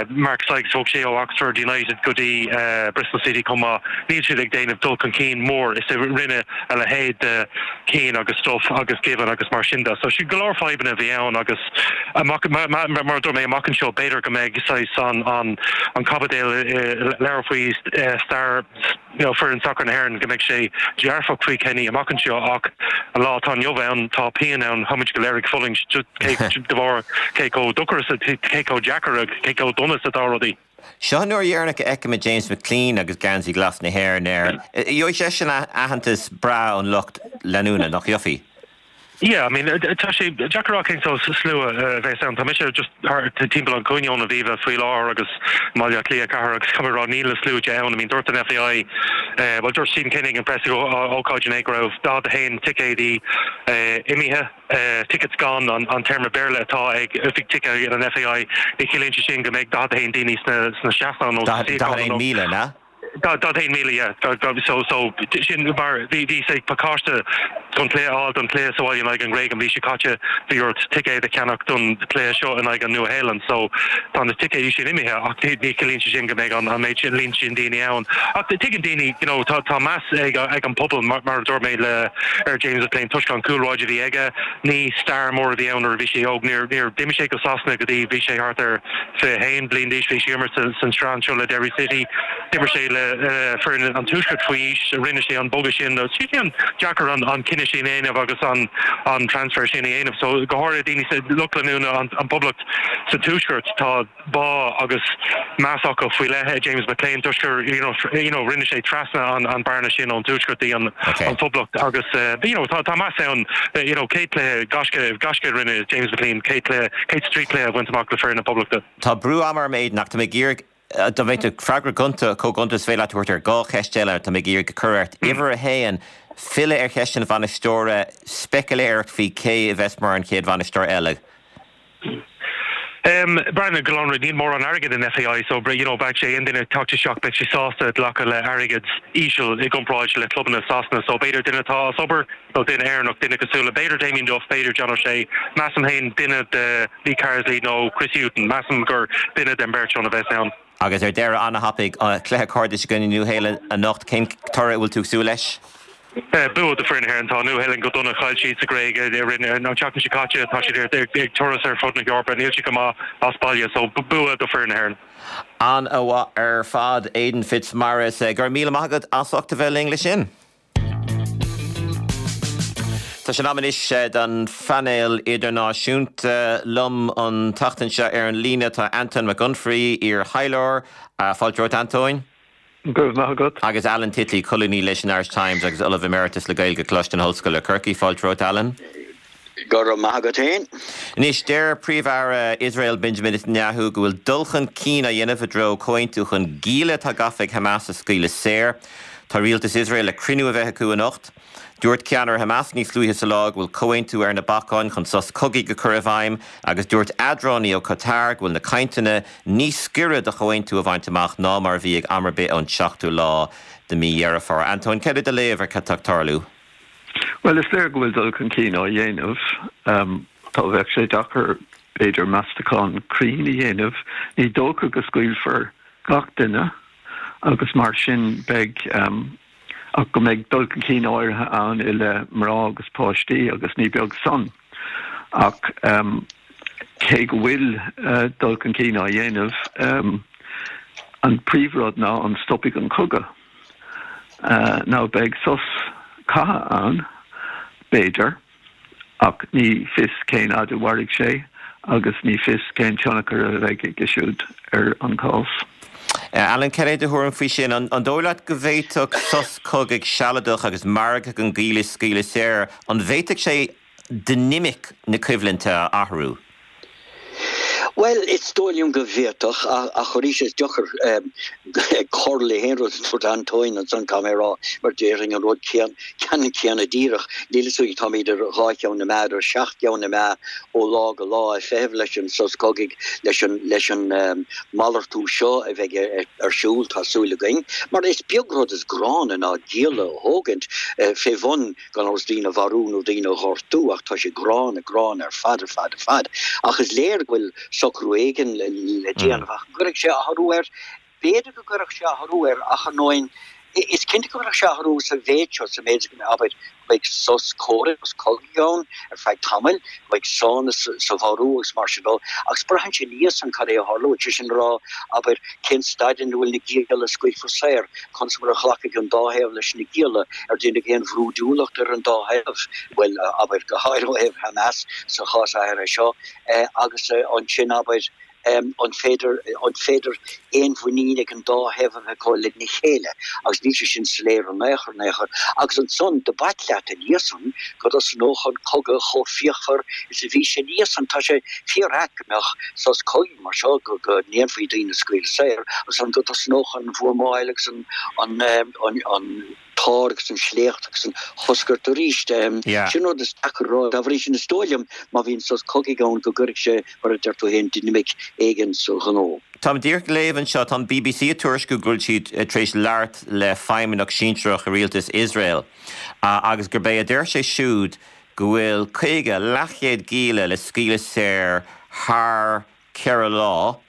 Mark Sykes, bhog sé ó Oxford United go dtí Bristol City chomh maith. Níl siad ag déanamh dul chun cinn mór is a rinne a leithéid de Keane agus Duff agus Given agus mar sin de. So sin go leor fadhbanna a bhí ann agus amach, mar a dúirt mé, amach anseo b'fhéidir go mbeidh saghas an an caibidil i leabhar faoi stair you know, foireann sacair na hÉireann, go mbeidh sé dearfach faoi Kenny amach anseo ach an lá atá inniu ann, tá pian ann, tá muid go léir ag fulaingt de bharr cé chomh dochar is, cé chomh deacair, cé chomh dona is atá rudaí. Seo an uair dheireanach a fheicfimid James McClean agus geansaí glas na hÉireann air. Gheobhaidh seisean aitheantas breá ón lucht leanúna, nach gheobhaidh? Yeah, I mean, tá sé deacair a rá cén sórt slua a bheas ann. Tá mise just thart timpeall an chúinne ón Aviva faoi láthair agus i mBaile Átha Cliath cathair agus caithfidh mé a rá níl na sluaite ann. I mean, dúirt an FAI, bhuel dúirt Stephen Kenny ag an press ócáid inné go raibh 41 ticéadaí imithe, tickets gone an téarma Béarla atá ag oifig ticéad an FAI. Ní chiallaíonn sé sin go mbeidh 41 daoine sna seastáin nó sna suíocháin nó. 41,000, an ea? 41,000, yeah. So, so, sin mar, bhí, bhí say pacáiste don chluiche a fháil don chluiche sa bhaile in aghaidh an Ghréig an mhí seo caite, bhí ort ticéad a cheannach don chluiche seo in aghaidh an Nua-Shéalainn. So, tá na ticéidí sin imithe ach ní, ní chiallaíonn sé sin go mbeidh an, an méid sin, líon sin daoine ann. Ach tuigeann daoine, you know, tá, tá meas ag, ag an pobal mar, mar a dúirt mé le, ar James McClean toisc an chúlráid a bhí aige. Ní star mór a bhí ann nuair a bhí sé óg. Níor, níor, d'imigh sé go Sasana go dtí bhí sé thart ar 21 bliain d'aois. Bhí sé ag imirt san sraith anseo le Derry City. D'imir sé le foireann an Tuaiscirt faoi aois. Rinne sé an bogadh sin. Tá sé an-deacair an cinneadh sin a dhéanamh agus an transfer sin a dhéanamh. So go háirithe daoine, lucht leanúna an Poblacht sa Tuaisceart, tá bá agus meas acu faoi leith ar James McClean toisc gur you know you know rinne sé trasna an an bearna sin ón Tuaisceart dtí an an Phoblacht agus you know tá tá meas ann you know 100 cluiche gaisce gaisce a rinne James McClean 100 cluiche 103 cluiche a bhaint amach le foireann na Poblachta. Tá brú ama orm Aidan ach tá mé ag iarraidh dá mbeadh tú freagra gonta chomh gonta is féidir leat a thabhairt ar dhá cheist eile tá mé ag iarraidh a chur ort. Uimhir a haon, filleadh ar cheist an bhainisteora, speicealéireacht faoi cé a bheas mar an chéad bhainisteoir eile. Breathnaigh go lonrach, níl mórán airgid in FAI so you know beidh sé aon duine ag teacht isteach beidh sé sásta glacadh le airgead íseal i gcomparáid le clubanna Sasana so b'fhéidir duine atá as obair nó duine Éireannach, duine cosúil le b'fhéidir Damien Duff, b'fhéidir John O'Shea, measaim féin duine de Lee Carsley nó Chris Hughton, measaim gur duine den bheirt sin a bheas ann. Agus ar deireadh, an-thapaidh, cluiche cairdis i gcoinne Nua-Shéalainn anocht, cén toradh a bhfuil tú ag súil leis? Bua do foireann na hÉireann. Tá Nua-Shéalainn go dona. Chaill siad sa Ghréig i rith an tseachtain seo caite. Tá siad ag turas ar fud na hEorpa. Níl siad go maith as baile. So, bua do foireann na hÉireann. An-mhaith ar fad, Aidan Fitzmaurice. Go raibh míle maith agat as ucht a bheith linn leis sin. Tá sé in am anois don phainéal idirnáisiúnta. Liom an tseachtain seo ar an líne tá Antóin Mac Unfraidh, iar-thaidhleoir. Fáilte romhat, Antóin. Go raibh maith agat. Agus Alan Titley, colúnaí leis an Irish Times agus Ollamh Emeritus le Gaeilge, Coláiste na hOllscoile, Corcaigh. Fáilte romhat, Alan. Go raibh maith agat féin. Anois, deir Príomh-Aire Iosrael Benjamin Netanyahu go bhfuil dul chun cinn á dhéanamh i dtreo comhaontú chun gialla atá gafa ag Hamas a scaoileadh saor. Tá rialtas Iosrael le cruinniú a bheith acu anocht. Dúirt ceannaire Hamas níos luaithe sa lá go bhfuil comhaontú ar na bacáin chun sos cogaidh a chur i bhfeidhm agus dúirt eadránaí ó Qatar go bhfuil na cainteanna níos gaire do chomhaontú a bhaint amach ná mar a bhí ag am ar bith ón seachtú lá de mhí Dheireadh Fómhair. Antóin, céard é do léamh ar cad tá ag tarlú? Bhuel, is léir go bhfuil dul chun cinn á dhéanamh. Tá, bheadh sé deacair. b'fhéidir, meastachán cruinn a dhéanamh. Ní dócha go scaoilfear gach duine agus mar sin beidh, ach go mbeidh dul chun cinn áirithe ann i leith mná agus páistí agus ní beag san. Ach cé go bhfuil dul chun cinn á dhéanamh, an príomhrud ná an stopfaidh an cogadh. Now beidh sos catha ann, b'fhéidir, ach ní fios cén fhad a mhairfidh sé agus ní fios cén tionchar a bheidh aige siúd ar an chás. Alan, cad é do thuairim faoi sin? An dóigh leat go bhféadfadh sos cogaidh sealadach agus margadh an gialla a scaoileadh saor, an bhféadfadh sé dinimic na coimhlinte a athrú? Bhuel, is dóigh liom go bhféadfadh, ach arís is deacair cur le haon rud a dúirt Antóin ansan, caithfidh mé a rá, mar déarfainn an rud ceannann céanna díreach. Níl fhios againn, táimid ar dhá cheann na meá, ar sheacht gceann na meá ó lá go lá ag feitheamh leis an sos cogaidh, leis an leis an malartú seo a bheidh ar siúl, tá súil againn, mar is beag rud is gránna ná gialla a thógaint fé bhun gan amhras daoine a mharú nó daoine a ghortú ach tá sé gránna, gránna ar fad, ar fad, ar fad. Ach is léir go bhfuil socrú éigin le déanamh ach an gcuirfidh sé athrú air? B'fhéidir go gcuirfeadh sé athrú air ach ar ndóigh is cinnte go gcuirfeadh sé athrú sa mhéid seo, sa mhéid is go mbeidh, abair, go mbeidh sos comhraic, sos cogaidh ann ar feadh tamaill, go mbeidh sánas sa mharú agus mar sin de agus braitheann sé ina dhiaidh san cad é a tharlóidh, sé sin le rá, abair, cén staid ina bhfuil na gialla a scaoilfear saor, conas mar a ghlacfaidh an dá thaobh leis na gialla, ar déanadh aon bhrúidiúlacht ar an dá thaobh, bhuel, abair, go háirithe ó thaobh Hamas sa chás áirithe seo, agus ansin, abair, an féidir, an féidir aon mhuinín ag an dá thaobh a bheith acu lena chéile, agus níl sé sin soiléir in aon chor, in aon chor. Agus ansan, do b'ait leat ina dhiaidh san go dtosnódh an cogadh chomh fíochmhar is a bhí sé ina dhiaidh san. Tá sé fíor-ait go mbeadh sos cogaidh mar seo, go ndéanfaí daoine a scaoileadh saor, agus ansan go dtosnódh an bhuamáil agus an, an, an, t-ár agus an sléacht agus an choscairt arís. Sin rud is deacair a rá. Dá bhrí sin, is dóigh liom, má bhíonn sos cogaidh ann, go gcuirfidh sé, mar a deir tú féin, dinimic éigin sa ghnó. Táim díreach ag léamh anseo, tá an bbc ag tuairisciú go bhfuil siad tar éis labhairt le feidhmeannach sinsearach i rialtas Iosrael agus gurb é a deir sé siúd go bhfuil 50, leathchéad gialla le scaoileadh saor thar 4 lá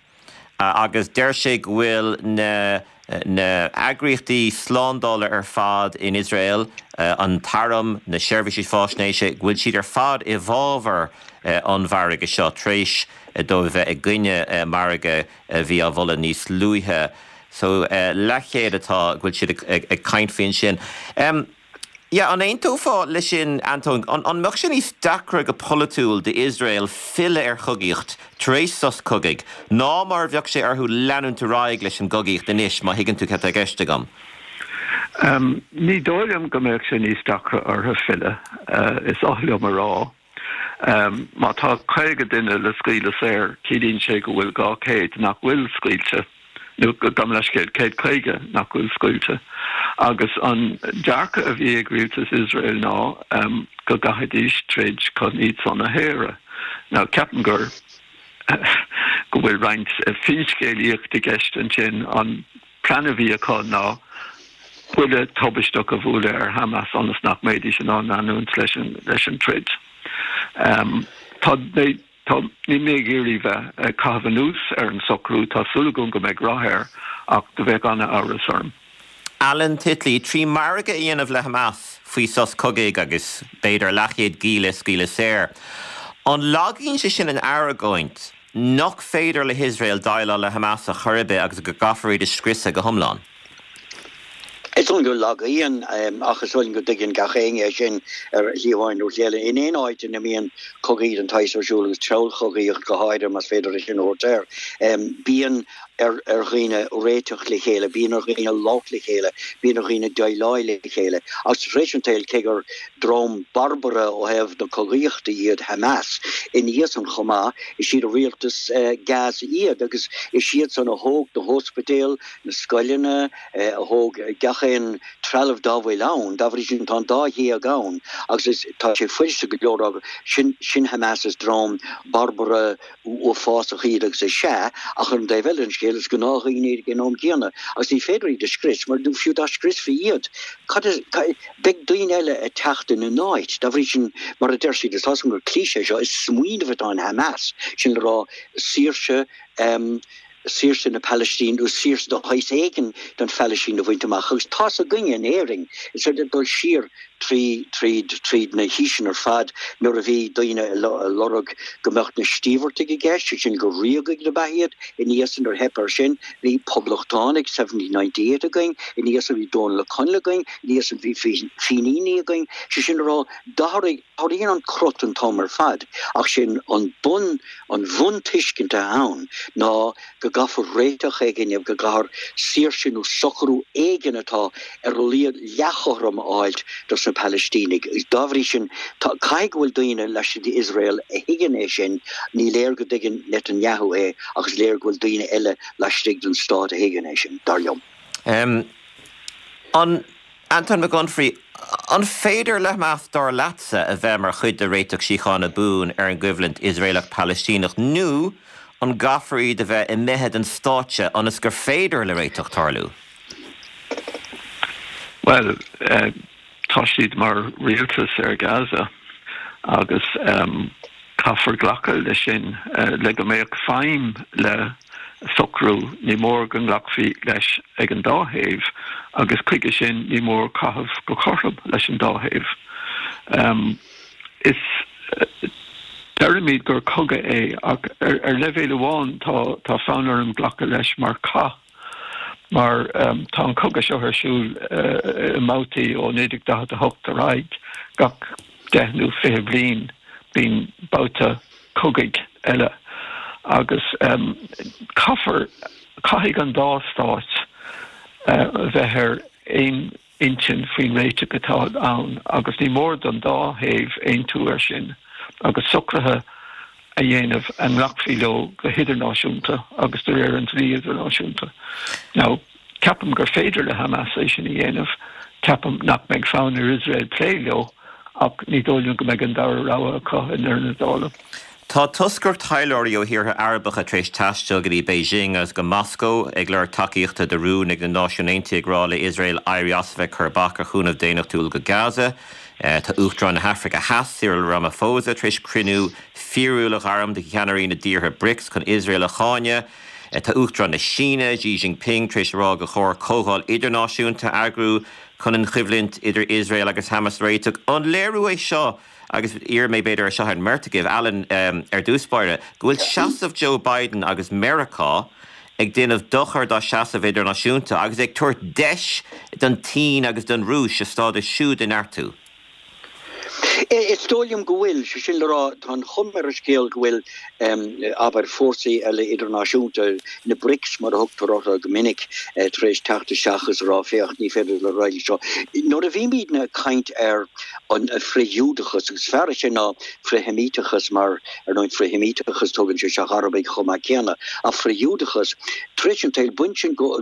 agus deir sé go bhfuil na na heagraíochtaí slándála ar fad in Iosrael, an t-arm, na seirbhísí fáisnéise, go bhfuil siad ar fad i bhfabhar an mhargaidh seo tar éis dóibh a bheith i gcoinne margadh a bhí á mholadh níos luaithe. So leathchéad atá, go bhfuil siad ag caint faoi ansin. Yeah, an aontófá leis sin, Antóin? An mbeadh sé níos deacra go polaitiúil d'Iosrael filleadh ar chogaíocht tar éis sos cogaidh ná mar a bheadh sé orthu leanúint ar aghaidh leis an gcogaíocht anois, má thuigeann tú cad tá i gceist agam? Ní dóigh liom go mbeadh sé níos deacra orthu filleadh, is oth liom a rá. Má tá 50 duine le scaoileadh saor, ciallaíonn sé go bhfuil 200 nach bhfuil scaoilte, nó gabh mo leithscéal, 150 nach bhfuil scaoilte. Agus an dearcadh a bhí ag rialtas Iosrael ná go gcaithfidís troid chun iad san a shaoradh. Now, ceapaim gur, go bhfuil roinnt finscéalaíocht i gceist ansin. An plean a bhí acu ná buille tubaisteach a bhualadh ar Hamas ionas nach mbeidís in ann leanúint leis an leis an troid. Tá tá níl mé ag iarraidh bheith ag caitheamh anuas ar an socrú, tá súil agam go mbeidh rath air ach do bheadh an-amhras orm. Alan Titley, 3 margadh a dhéanamh le Hamas faoi sos cogaidh agus b'fhéidir leathchéad gialla a scaoileadh saor, an lagaíonn sé sin an argóint nach féidir le hIosrael déileáil le Hamas ar chor ar bith agus go gcaithfear iad a scriosadh go hiomlán. Is dóigh liom go lagaíonn, ach is dóigh liom go dtuigeann gach éinne é sin ar shlí amháin nó shlí eile. In aon áit ina mbíonn cogaí den tsaghas ar siúl, agus treallchogaíocht go háirithe, más féidir é sin a thabhairt air, bíonn ar dhaoine réiteach le chéile, bíonn ar dhaoine labhairt le chéile, bíonn ar dhaoine déileáil le chéile. Agus tar éis an tsaoil, cé gur dream barbartha ó thaobh na cogaíochta iad Hamas, ina dhiaidh san chomh maith, is iad rialtas Gaza iad agus is iad san a thóg na hóspidéil, na scoileanna, a thóg gach aon trealamh dá bhfuil ann. Dá bhrí sin tá an dá ghéag ann agus is, tá sé fuiriste go leor a rá sin, sin Hamas, is dream barbartha, uafásach iad agus is ea, ach ar an dtaobh eile den scéal. Iosrael, is gnáthdhaoine iad ag an am céanna agus ní féidir iad a scrios mar nó fiú dá scriosfaí iad, cad is, beidh daoine eile ag teacht ina n-áit. Dá bhrí sin, mar a deir siad, is tá 'fhios agam gur cliché é seo, is smaoineamh atá in Hamas, sin le rá saoirse, saoirse na Palaistíne nó saoirse de shaghas éigin don Phalaistín a bhaint amach agus tá's againne in Éirinn, is féidir dul siar trí, tríd, tríd na haoiseanna ar fad nuair a bhí daoine ag lorg go mbeadh na Stíobhartaigh i gceist, sé sin gur ríogaigh ab ea iad, ina dhiaidh san nuair a theip air sin bhí poblachtánaigh 1798 againn, ina dhiaidh san bhí Dónall Ó Conaill againn, ina dhiaidh san bhí Fíníní againn, sé sin le rá d'athraigh, athraíonn an crot an t-am ar fad ach sin an bun, An bhuntuiscint atá ann ná go gcaithfear réiteach éigin, go gcaithfear saoirse nó socrú éigin atá ar a laghad leathchothrom a fháilt dos na Palaistínigh. Dá bhrí sin, tá, caithfidh go bhfuil daoine laistigh d'Iosrael a thuigeann é sin, ní léir go dtuigeann Netanyahu é ach is léir go bhfuil daoine eile laistigh den stát a thuigeann é sin, dar liom. An. Antóin Mac Unfraidh, An féidir le Hamas, dar leatsa, a bheith mar chuid de réiteach síochána buan ar an gcoimhlint Iosraelach-Palaistíneach nó an gcaithfear iad a bheith imithe den stáitse ionas gur féidir le réiteach tarlú? Bhuel, tá siad mar rialtas ar Gaza agus caithfear glacadh leis sin. Le go mbeadh feidhm le socrú, ní mór go nglacfaí leis ag an dá thaobh agus chuige sin ní mór caitheamh go cothrom leis an dá thaobh. Is deirimid gur cogadh é ach ar leibhéal amháin tá fonn orm glacadh leis mar chath mar tá an cogadh seo ar siúl i mbabhtaí ó 1948 ar aghaidh gach deich nó 20 bliain bíonn babhta cogaidh eile agus caithfear, caithfidh an dá stát a bheith ar aon intinn faoin réiteach atá ann agus ní mór don dá thaobh aontú air sin agus socruithe a dhéanamh a nglacfaí leo go hidirnáisiúnta agus de réir an dlí idirnáisiúnta. Now, ceapaim gur féidir le Hamas é sin a dhéanamh, ceapaim nach mbeidh fonn ar Iosrael plé leo ach ní dóigh liom go mbeidh an dara rogha acu i ndeireadh na dála. Tá toscaireacht taidhleoirí ó thíortha Arabacha tar éis taisteal go dtí Beijing agus go Moscó ag lorg tacaíochta do rún ag na Náisiúin Aontaithe ag rá le Iosrael éirí as a bheith ag cur bac ar chúnamh daonnachtúil go Gaza. Tá Uachtarán na hAfraice Theas, Cyril Ramaphosa, tar éis cruinniú fíorúil a ghairm de cheannairí na dtíortha Brics chun Iosrael a cháineadh. Tá Uachtarán na Síne, Xi Jinping, tar éis a rá gur chóir comhdháil idirnáisiúnta a eagrú chun an choimhlint idir Iosrael agus Hamas a réiteach. An léiriú é seo, agus iarrfaidh mé b'fhéidir é seo ar an mbeirt agaibh, Alan ar dtús báire, go bhfuil seasamh Joe Biden agus Meiriceá ag déanamh dochar dá seasamh idirnáisiúnta agus ag tabhairt deis don tSín agus don Rúis a stádas siúd a neartú? Is dóigh liom go bhfuil, sé sin le rá, tá an chuma ar an scéal go bhfuil, abair, fórsaí eile idirnáisiúnta, na BRICS mar a thugtar orthu go minic, tar éis teacht isteach is a rá, féach, ní féidir le raghaidh seo. Nuair a bhímidne ag caint ar an frith-Ghiúdachas, agus is fearr é sin ná frith-Sheimíteachas mar, ar ndóigh, frith-Sheimíteachas, tugann sé isteach Arabaigh chomh maith céanna, ach frith-Ghiúdachas, tar éis an tsaoil, baineann sin go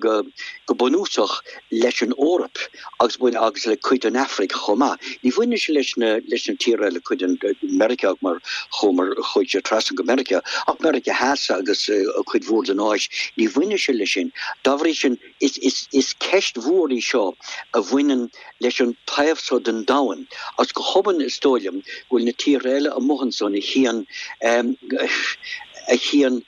bunúsach leis an Eoraip. agus bhain agus le cuid den Afraic chomh maith. Ní bhaineann sé leis na leis na tíortha eile, cuid den Meiriceá mar chuamar chuaigh sé trasna go Meiriceá, ach Meiriceá Theas agus cuid mhór den Áis, ní bhaineann sé leis sin. Dá bhrí sin, is is is ceist mhór í seo a bhaineann leis an taobh seo den domhan agus go hobann is dóigh liom go bhfuil na tíortha eile amuigh ansan a chíonn a chíonn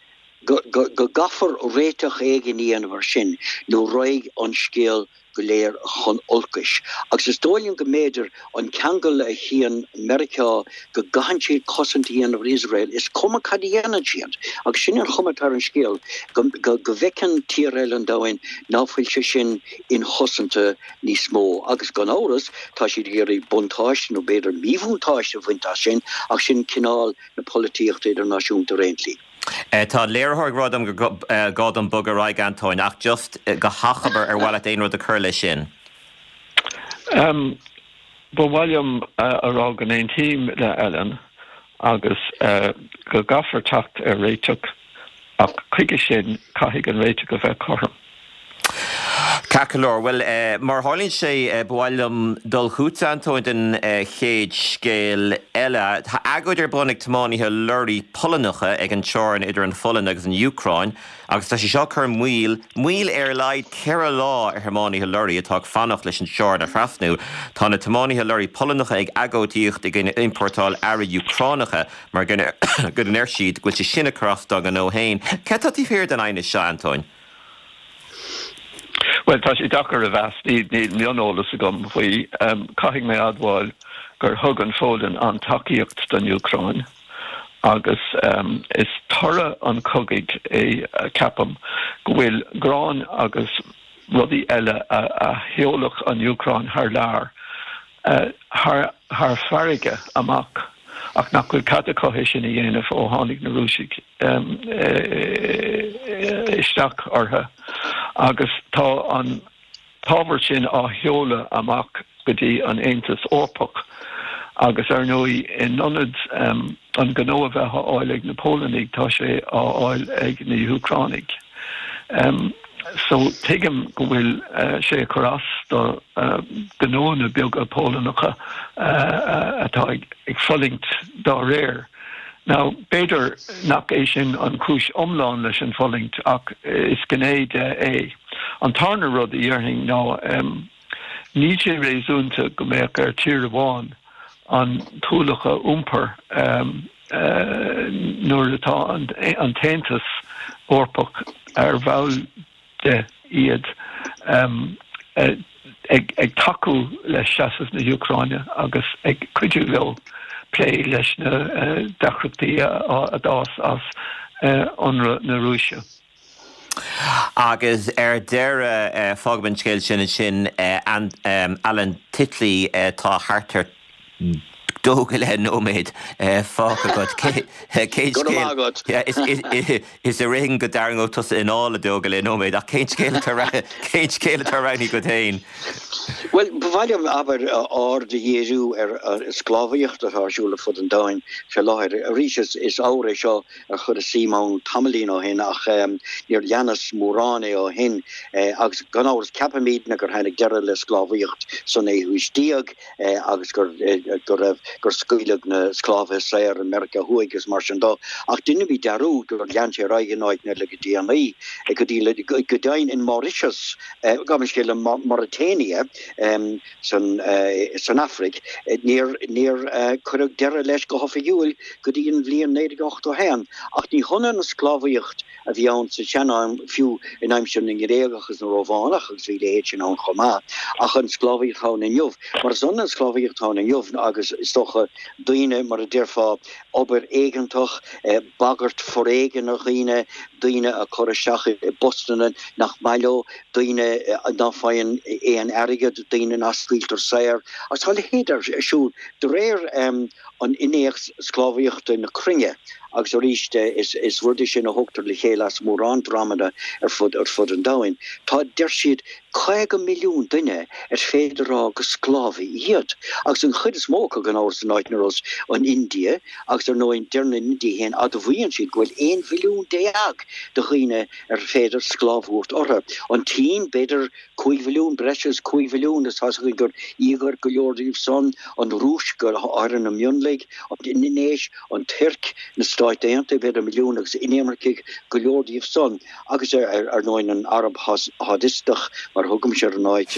go go go gcaithfear réiteach éigin a dhéanamh ar sin nó raghaidh an scéal go léir chun olcais. Agus is dóigh liom go mb'fhéidir an ceangal a chíonn Meiriceá go gcaitheann siad cosaint a dhéanamh ar Iosrael, is cuma cad a dhéanann siad. Agus sin an chuma atá ar an scéal, go go bhfeiceann tíortha eile an domhain ná fuil sé sin inchosanta níos mó. Agus gan amhras, tá siad ag iarraidh buntáiste, nó b'fhéidir míbhuntáiste, a bhaint as sin, ach sin cineál na polaitíochta idirnáisiúnta ar aon tslí. Tá an léiritheoir ag rá dom gur gá dom bogadh ar aghaidh, Antóin, ach just go hachomair, ar mhaith leat aon rud a chur leis sin? Ba mhaith liom a rá go n-aontaím le Alan agus go gcaithfear teacht ar réiteach ach chuige sin caithfidh an réiteach a bheith cothrom. Ceart go leor, bhuel, mar a tharlaíonn sé, ba mhaith liom dul chugatsa, Antóin, don chéad scéal eile. Tá agóid ar bun ag tiománaithe lorraí Polannacha ag an teorainn idir an Pholainn agus an Úcráin agus tá sé seo ag cur moill, moill ar a laghad 4 lá ar thiománaithe lorraí atá ag fanacht leis an teorainn a thrasnú. Tá na tiománaithe lorraí Polannacha ag agóidíocht i gcoinne iompórtáil earraí Úcránacha mar go ndeir siad go bhfuil sé sin ag cur as dá ngnó féin. Cad tá taobh thiar den aighneas seo, Antóin? Bhuel, tá sé deacair a mheas, níl mioneolas agam faoi. Caithfidh mé a admháil gur thug an Pholainn an-tacaíocht don Úcráin agus is toradh an chogaidh é, ceapaim, go bhfuil grán agus rudaí eile a sheolfadh an Úcráin thar lear thar farraige amach ach nach bhfuil cead acu é sin a dhéanamh ó tháinig na Rúisigh isteach orthu agus tá an t-ábhar sin á sheoladh amach go dtí an Aontas Eorpach agus ar ndóigh in ionad an gnó a bheith á fháil ag na Polannaigh tá sé á fháil ag na hÚcránaigh. So tuigim go bhfuil sé ag cur as do gnóanna beaga Polannacha atá ag fulaingt dá réir. Now, b'fhéidir nach é sin an chúis iomlán leis an bhfulaingt ach is gné de é. An tarna rud a dhéarfainn ná níl sé réasúnta go mbeadh ar tír amháin an t-ualach a iompar nuair atá an tAontas Eorpach ar bhall de iad ag tacú le seasamh na hÚcráine agus ag cuidiú leo plé leis na deacrachtaí a d'fhás as ionradh na Rúise. Agus ar deireadh, fágfaidh an scéal sin ansin, Alan Titley, tá thart ar dó go leith nóiméad fágtha agat. Cén Go raibh maith agat. Is ar éigean go dtarraingeodh tusa anáil i dó go leith nóiméad, ach cén scéal atá cén scéal atá roghnaithe agat féin? Bhuel, ba mhaith liom, abair, aird a dhíriú ar an sclábhaíocht atá ar siúl ar fud an domhain fé láthair. Arís, is ábhar é seo ar chuireas suim ann tamaillín ó shin ach níor leanas mórán é ó shin. Agus gan amhras, ceapaimidne gur tháinig deireadh le sclábhaíocht sa naoú haois déag. agus go raibh, gur scaoileadh na sclábhaithe saor i Meiriceá Thuaidh agus mar sin dó. Ach deinimid dearúd gur lean sé ar aghaidh in áiteanna eile go déanaí, go dtí, go deimhin in Mauritius, gabh mo leithscéal, i Mauritania san, san Afraic, níor, níor cuireadh deireadh leis go hoifigiúil go dtí an bhliain 1981. Ach ní hionann an sclábhaíocht a bhí ann sa sean-am, fiú in aimsir na nGréagach agus na Rómhánach, agus bhí a leithéid sin ann chomh maith, ach an sclábhaíocht atá ann inniu. Mar is ionann an sclábhaíocht atá ann inniu agus, is dócha, daoine, mar a déarfá, obair éigeantach, bagairt foréigin ar dhaoine, daoine a chur isteach i bpostanna nach maith leo, daoine ná faigheann aon airgead, daoine nach scaoiltear saor. Agus tá a leithéid ar siúl de réir an Innéacs Sclábhaíochta na Cruinne, agus arís is rud é sin a thógtar le chéile as mórán dreamanna ar fud ar fud an domhain. Tá, deir siad, 50 milliún duine ar féidir a rá gur sclábhaithe iad, agus an chuid is mó acu gan amhras in áit ar nós an India, agus ar ndóigh deir na hIndiaigh féin, admhaíonn siad go bhfuil 11 mhilliún de dhaoine ar féidir sclábh a thabhairt orthu. An tSín, b'fhéidir 5 mhilliún, breis agus 5 mhilliún, is tá's againn gur Uígúir go leor díobh san, an Rúis, go háirithe na mionlaigh, an Indinéis, an Tuirc, na Stáit Aontaithe, b'fhéidir milliún, agus inimircigh, go leor díobh san, agus ar ndóigh an Araib Shádistach, mar a thugaimse ar an áit,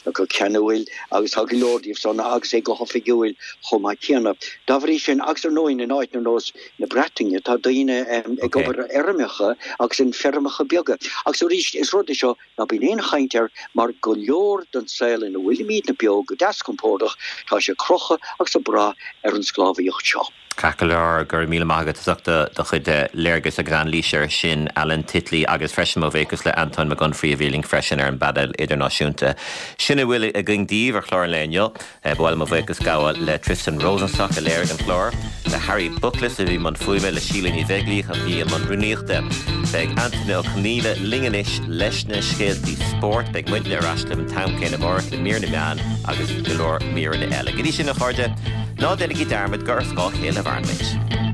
le go ceanúil, agus tá go leor díobh san, agus é go hoifigiúil chomh maith céanna. Dá bhrí sin, agus ar ndóigh in áit ar nós na Breataine, tá daoine ag obair ar fheirmeacha agus in feirmeacha beaga. Agus arís, is rud é seo Ná bíonn aon chaint air mar go leor den saol ina bhfuilimidne beo go deas compordach, tá sé ag crochadh agus ag brath ar an sclábhaíocht seo. Ceart go leor, go raibh míle maith agat as ucht do chuid léargas agus anailíse air sin, Alan Titley, agus freisin mo bhuíochas le Antóin Mac Unfraidh a bhí linn freisin ar an bpainéal idirnáisiúnta. Sin a bhfuil againn daoibh ar chlár an lae inniu. Ba mhaith liom mo bhuíochas gabháil le Tristan Rosenstock a léirigh an clár, le Harry Bookless a bhí i mbun fuaime, le Síle Ní Bheaglaoich a bhí i mbun rúnaíochta. Beidh Antaine Ó Conghaile linn anois leis na scéaltaí spóirt. Beidh muidne ar ais libh an t-am céanna amárach le mír na meán agus go leor míreanna eile. Go dtí sin, a chairde, ná déanaigí dearmad gur ar scáth a chéile a mhaireann muid.